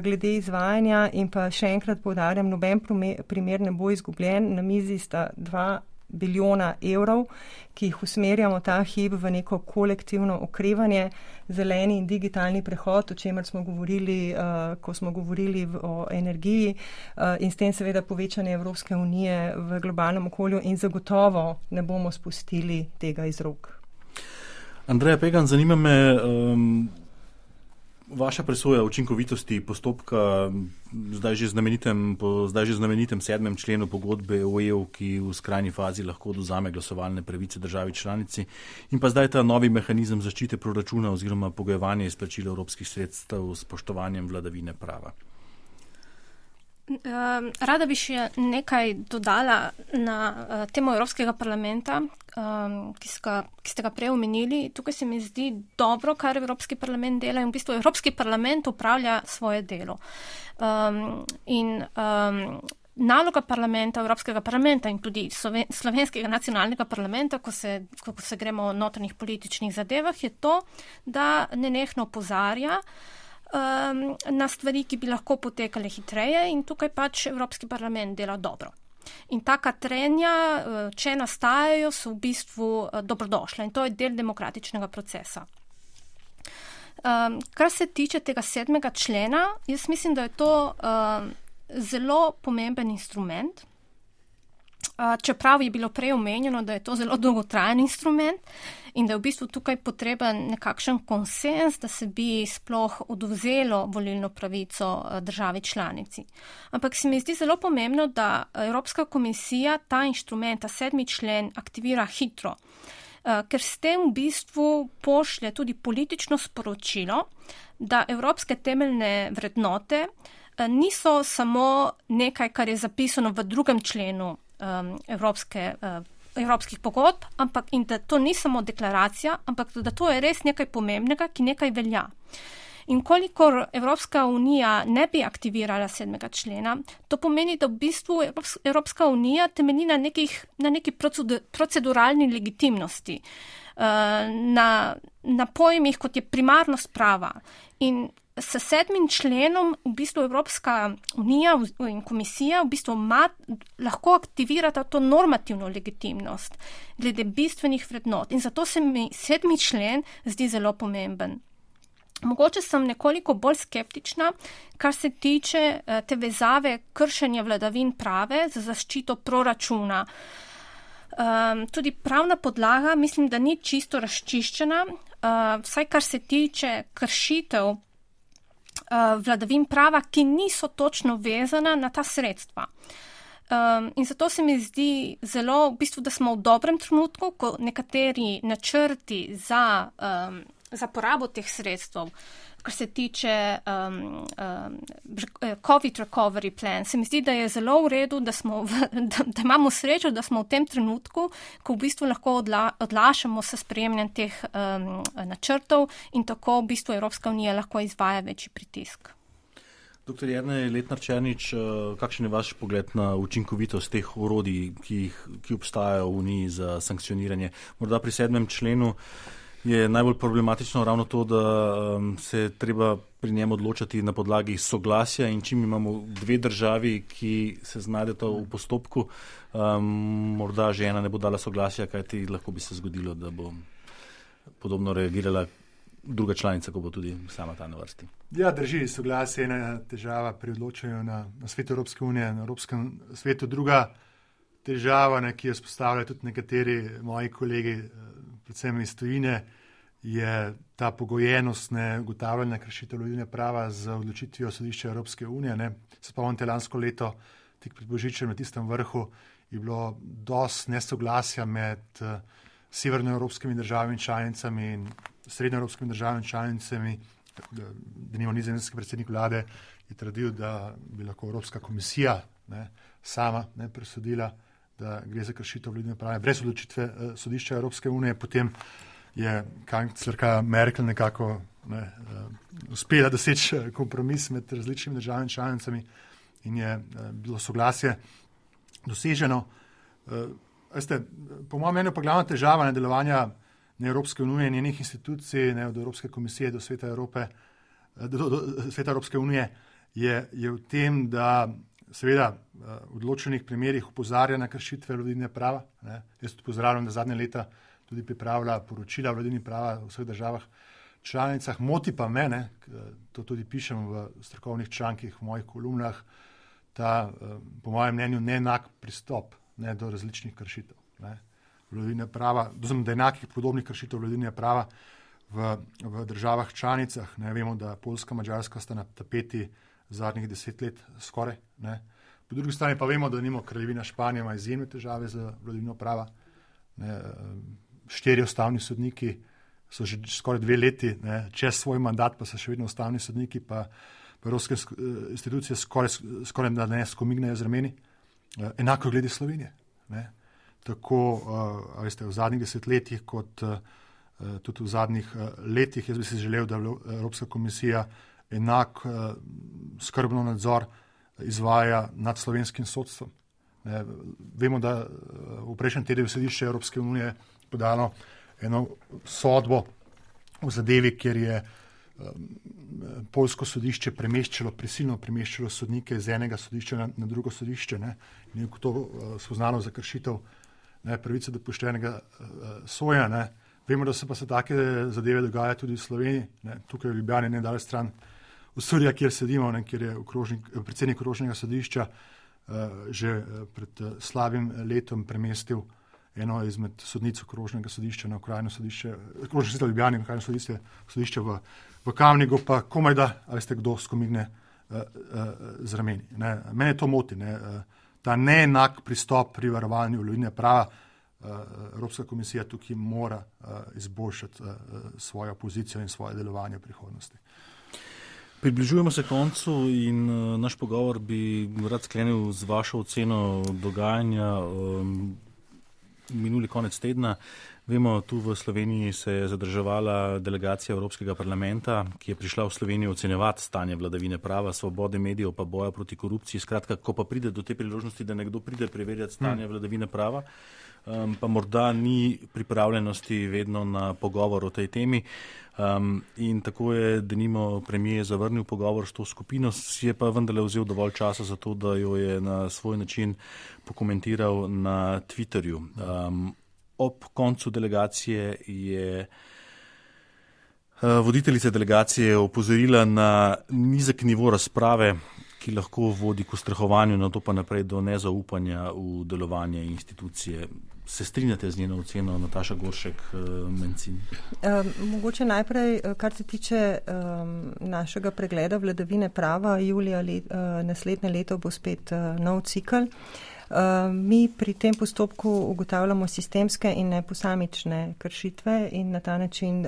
glede izvajanja in pa še enkrat poudarjam, noben primer ne bo izgubljen. Na mizi sta 2 bilijona evrov, ki jih usmerjamo ta hip v neko kolektivno okrevanje, zeleni in digitalni prehod, o čemer smo govorili, ko smo govorili o energiji in s tem seveda povečanje Evropske unije v globalnem okolju in zagotovo ne bomo spustili tega iz rok. Andreja Pegan, zanima me vaša presoja učinkovitosti postopka zdaj že znamenitem 7. členu pogodbe o EU, ki v skrajni fazi lahko odvzame glasovalne pravice državi članici in pa zdaj ta novi mehanizem zaščite proračuna oziroma pogojevanje izplačila evropskih sredstev s spoštovanjem vladavine prava. Rada bi še nekaj dodala na temo Evropskega parlamenta, ki ste ga prej omenili. Tukaj se mi zdi dobro, kar Evropski parlament dela in v bistvu Evropski parlament upravlja svoje delo. Naloga parlamenta, Evropskega parlamenta in tudi slovenskega nacionalnega parlamenta, ko se gremo o notranjih političnih zadevah, je to, da nenehno opozarja na stvari, ki bi lahko potekale hitreje in tukaj pač Evropski parlament dela dobro. In taka trenja, če nastajajo, so v bistvu dobrodošla in to je del demokratičnega procesa. Kar se tiče tega 7. člena, jaz mislim, da je to zelo pomemben instrument, čeprav je bilo prej omenjeno, da je to zelo dolgotrajen instrument in da je v bistvu tukaj potreben nekakšen konsens, da se bi sploh odvzelo volilno pravico državi članici. Ampak se mi zdi zelo pomembno, da Evropska komisija ta inštrument, ta 7. člen aktivira hitro, ker s tem v bistvu pošlje tudi politično sporočilo, da evropske temeljne vrednote niso samo nekaj, kar je zapisano v 2. členu evropskih pogodb, ampak in da to ni samo deklaracija, ampak da to je res nekaj pomembnega, ki nekaj velja. In kolikor Evropska unija ne bi aktivirala 7. člena, to pomeni, da v bistvu Evropska unija temelji na neki proceduralni legitimnosti, na pojmih, kot je primarnost prava. In s 7. členom v bistvu Evropska unija in komisija v bistvu lahko aktivirata to normativno legitimnost glede bistvenih vrednot. In zato se mi 7. člen zdi zelo pomemben. Mogoče sem nekoliko bolj skeptična, kar se tiče te vezave kršenja vladavin prave za zaščito proračuna. Tudi pravna podlaga mislim, da ni čisto razčiščena, vsaj kar se tiče kršitev vladavin prava, ki niso točno vezana na ta sredstva. In zato se mi zdi zelo, v bistvu, da smo v dobrem trenutku, ko nekateri načrti za porabo teh sredstev, kar se tiče COVID recovery plan, se mi zdi, da je zelo v redu, da imamo srečo, da smo v tem trenutku, ko v bistvu lahko odlašamo s sprejemanjem teh načrtov in tako v bistvu Evropska unija lahko izvaja večji pritisk. Dr. Jernej Letnar-Černič, kakšen je vaš pogled na učinkovitost teh orodij, ki obstajajo v Uniji za sankcioniranje? Morda pri 7. členu je najbolj problematično ravno to, da se treba pri njem odločati na podlagi soglasja in čim imamo dve državi, ki se znajdeta v postopku, morda že ena ne bo dala soglasja, kajti lahko bi se zgodilo, da bo podobno reagirala druga članica, ko bo tudi sama ta na vrsti. Ja, drži, soglasje je ena težava pri odločanju na svetu Evropske unije, na Evropskem svetu. Druga težava, ki jo spostavljajo tudi nekateri moji kolegi, predvsem iz tujine, je ta pogojenost ugotavljanja kršitev vladavine prava z odločitvijo sodišča Evropske unije. Se spomnite, lansko leto, tik pred božičem na tistem vrhu, je bilo dosti nesoglasja med severnoevropskimi državami članicami in srednjoevropskimi državami članicami. Denimo nizozemski predsednik vlade je trdil, da bi lahko Evropska komisija sama presodila, da gre za kršitev vladavine prava brez odločitve sodišča Evropske unije. Potem je kanclerka Merkel nekako uspela doseči kompromis med različnimi državami članicami in je bilo soglasje doseženo. Po mojem mnenju pa glavna težava delovanja Evropske unije in njenih institucij, od Evropske komisije do Sveta Evrope, do Sveta Evropske unije, je v tem, da seveda v odločenih primerih opozarja na kršitve vladavine prava. Jaz tudi pozdravljam, da zadnje leta tudi pripravlja poročila vladavine prava v vseh državah članicah. Moti pa me, to tudi pišem v strokovnih člankih, v mojih kolumnah, ta, po mojem mnenju, neenak pristop do različnih kršitev vladavine prava, da enakih podobnih kršitev vladavine prava v državah članicah. Vemo, da Poljska, Madžarska sta na tapeti zadnjih 10 let skoraj. Po drugi strani pa vemo, da nimo Kraljevina Španija ima izjemne težave z vladavino prava. 4 ustavni sodniki so že skoraj 2 leti, čez svoj mandat pa so še vedno ustavni sodniki, pa evropske institucije skoraj da ne skomignejo z rameni. Enako glede Slovenije. Tako v zadnjih 10 letih kot tudi v zadnjih letih. Jaz bi si želel, da Evropska komisija enak skrbno nadzor izvaja nad slovenskim sodstvom. Vemo, da v prejšnjem tednu sodišče Evropske unije podalo eno sodbo v zadevi, kjer je poljsko sodišče prisilno premeščalo sodnike iz enega sodišča na drugo sodišče. In je to spoznalo za kršitev pravice do poštenega sojenja. Vemo, da se pa se take zadeve dogajajo tudi v Sloveniji. Tukaj v Ljubljani, ne daleč stran v Surja, kjer sedimo, kjer je predsednik okrožnega sodišča že pred slabim letom premestil eno izmed sodnic okrožnega sodišča na okrajno sodišče, okrožno sodišče v Ljubljani, okrajno sodišče v Kamniku, pa komaj da, ali ste kdo skomigne z rameni. Mene to moti, ta neenak pristop pri varovanju vladavine prava. Evropska komisija tukaj mora izboljšati svojo pozicijo in svoje delovanje v prihodnosti. Približujemo se koncu in naš pogovor bi rad sklenil z vašo oceno dogajanja minuli konec tedna. Vemo, tu v Sloveniji se je zadrževala delegacija Evropskega parlamenta, ki je prišla v Slovenijo ocenjevati stanje vladavine prava, svobode medijev pa boja proti korupciji. Skratka, ko pa pride do te priložnosti, da nekdo pride preverjati stanje vladavine prava, pa morda ni pripravljenosti vedno na pogovor o tej temi. In tako je denimo premier zavrnil pogovor s to skupino, si je pa vendarle vzel dovolj časa za to, da jo je na svoj način pokomentiral na Twitterju. Ob koncu delegacije je voditeljica delegacije opozorila na nizek nivo razprave, ki lahko vodi k ustrahovanju, na to pa naprej do nezaupanja v delovanje institucije. Se strinjate z njeno oceno, Nataša Goršek-Mencin? Mogoče najprej, kar se tiče našega pregleda vladavine prava, julija naslednje leto bo spet nov cikl. Mi pri tem postopku ugotavljamo sistemske in ne posamične kršitve in na ta način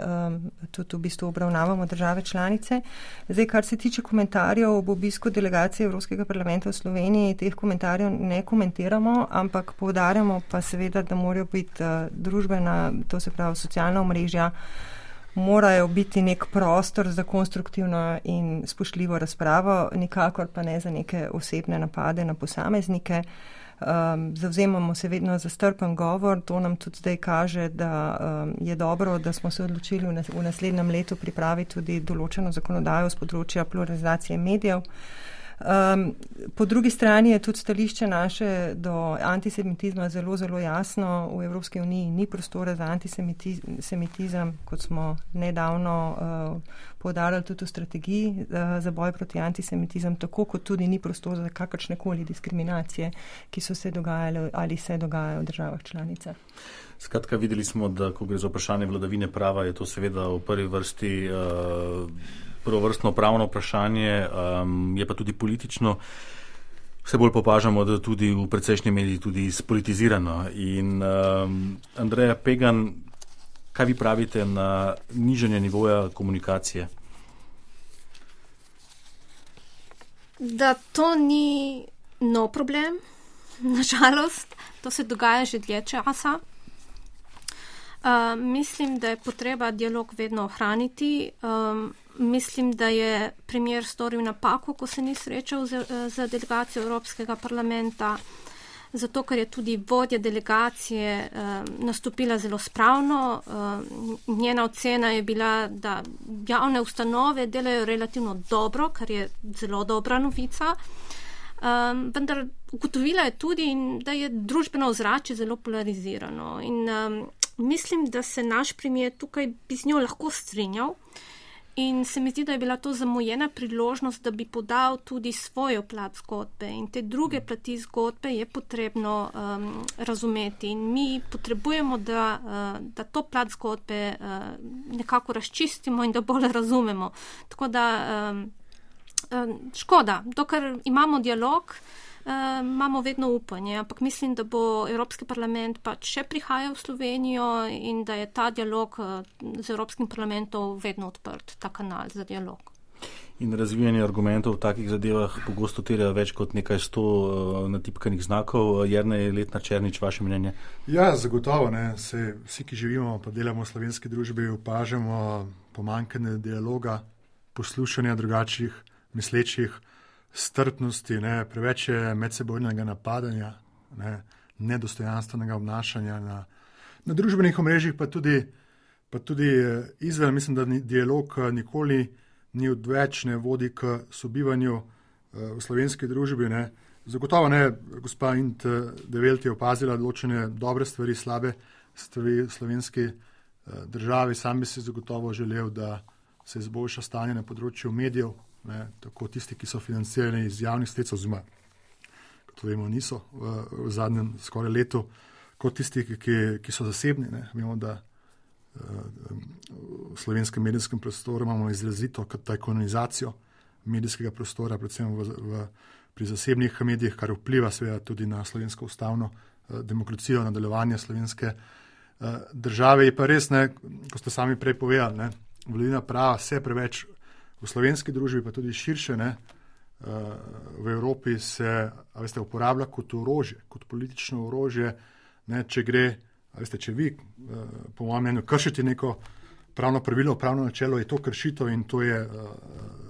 tudi v bistvu obravnavamo države članice. Zdaj, kar se tiče komentarjev ob obisku delegacije Evropskega parlamenta v Sloveniji, teh komentarjev ne komentiramo, ampak poudarjamo pa seveda, da morajo biti družbena, to se pravi socialna omrežja, morajo biti nek prostor za konstruktivno in spoštljivo razpravo, nikakor pa ne za neke osebne napade na posameznike. Zavzemamo se vedno za strpen govor, to nam tudi zdaj kaže, da je dobro, da smo se odločili v naslednjem letu pripraviti tudi določeno zakonodajo z področja pluralizacije medijev. Po drugi strani je tudi stališče naše do antisemitizma zelo, zelo jasno. V Evropski uniji ni prostora za antisemitizem, kot smo nedavno poudarjali tudi v strategiji za boj proti antisemitizem, tako kot tudi ni prostora za kakršnekoli diskriminacije, ki so se dogajale ali se dogajajo v državah članicah. Skratka, videli smo, da ko gre za vprašanje vladavine prava, je to seveda v prvi vrsti prvovrstno pravno vprašanje, je pa tudi politično. Vse bolj opažamo, da tudi v precejšnji meri tudi spolitizirano. In Andreja Pegan, kaj vi pravite na nižanje nivoja komunikacije? Da to ni nov problem, nažalost. To se dogaja že dlje časa. Mislim, da je potreba dialog vedno ohraniti. Mislim, da je premier storil napako, ko se ni srečal z delegacijo Evropskega parlamenta, zato ker je tudi vodja delegacije nastopila zelo spravno. Njena ocena je bila, da javne ustanove delajo relativno dobro, kar je zelo dobra novica. Vendar ugotovila je tudi, da je družbeno ozračje zelo polarizirano. In mislim, da se naš premier tukaj bi z njo lahko strinjal. In se mi zdi, da je bila to zamujena priložnost, da bi podal tudi svojo plat zgodbe. In te druge plati zgodbe je potrebno razumeti. In mi potrebujemo, da to plat zgodbe nekako razčistimo in da bolj razumemo. Tako da škoda, dokler imamo dialog, imamo vedno upanje, ampak mislim, da bo Evropski parlament pač še prihajal v Slovenijo in da je ta dialog z Evropskim parlamentom vedno odprt, ta kanal za dialog. In razvijanje argumentov v takih zadevah pogosto terja več kot nekaj 100 natipkanih znakov. Jernej Letnar-Černič, vaše mnenje? Ja, zagotovo. Vsi, ki živimo pa delamo v slovenski družbi, opažamo pomanjkanje dialoga, poslušanja drugačnih mislečih, strpnosti, preveč je medsebojnega napadanja, nedostojanstvenega obnašanja na družbenih omrežjih, pa tudi izven. Mislim, da dialog nikoli ni odveč, ne vodi k sobivanju v slovenski družbi. Zagotovo gospa Int de Welt je opazila določene dobre stvari, slabe stvari v slovenski državi. Sam bi si zagotovo želel, da se izboljša stanje na področju medijev, tako tisti, ki so financirani iz javnih sredstev, oziroma, kot vemo, niso v zadnjem skoraj letu, kot tisti, ki so zasebni. Vemo, da v slovenskem medijskem prostoru imamo izrazito tajkunizacijo medijskega prostora, predvsem pri zasebnih medijih, kar vpliva seveda tudi na slovensko ustavno demokracijo, na delovanje slovenske države. Je pa res, ko ste sami prej povedali, vladavina prava vse preveč v slovenski družbi, pa tudi širše, v Evropi se uporablja kot orožje, kot politično orožje. Če vi, po mojem mnenju, kršite neko pravno pravilo, pravno načelo, je to kršitev in to je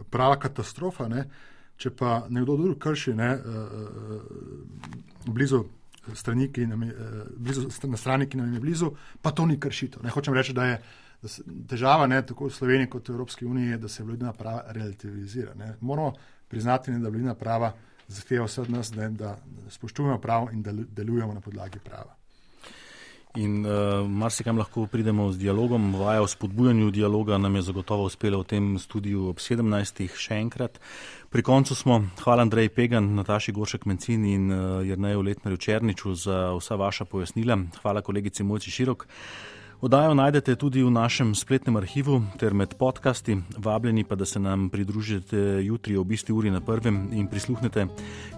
prava katastrofa. Če pa nekdo drug krši blizu strani, na strani, ki nam je blizu, pa to ni kršitev. Hočem reči, da je težava tako v Sloveniji kot v Evropski uniji je, da se vladavina prava relativizira. Moramo priznati, da vladavina prava zahteva vse od nas, da spoštujemo pravo in da delujemo na podlagi prava. In marsikam lahko pridemo z dialogom. Vaja o spodbujanju dialoga nam je zagotovo uspela v tem studiu ob 17. še enkrat. Pri koncu smo. Hvala Andreji Pegan, Nataši Goršek-Mencin in Jerneju Letnarju-Černiču za vsa vaša pojasnila. Hvala kolegici Mojci Širok. Oddajo najdete tudi v našem spletnem arhivu ter med podcasti. Vabljeni pa, da se nam pridružite jutri ob isti uri na Prvem in prisluhnete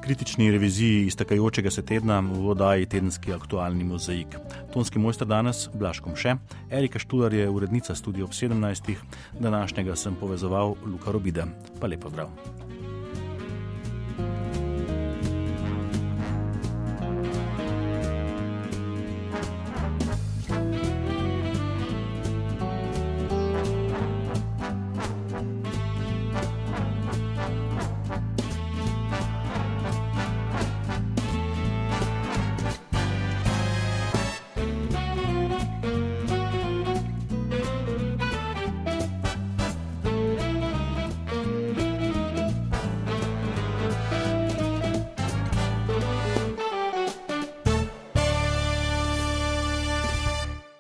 kritični reviziji iztekajočega se tedna v oddaji Tedenski aktualni mozaik. Tonski mojster danes Blaž Komše, Erika Štular je urednica Studia ob 17. Današnjega sem povezoval Luka Robida. Pa lep pozdrav.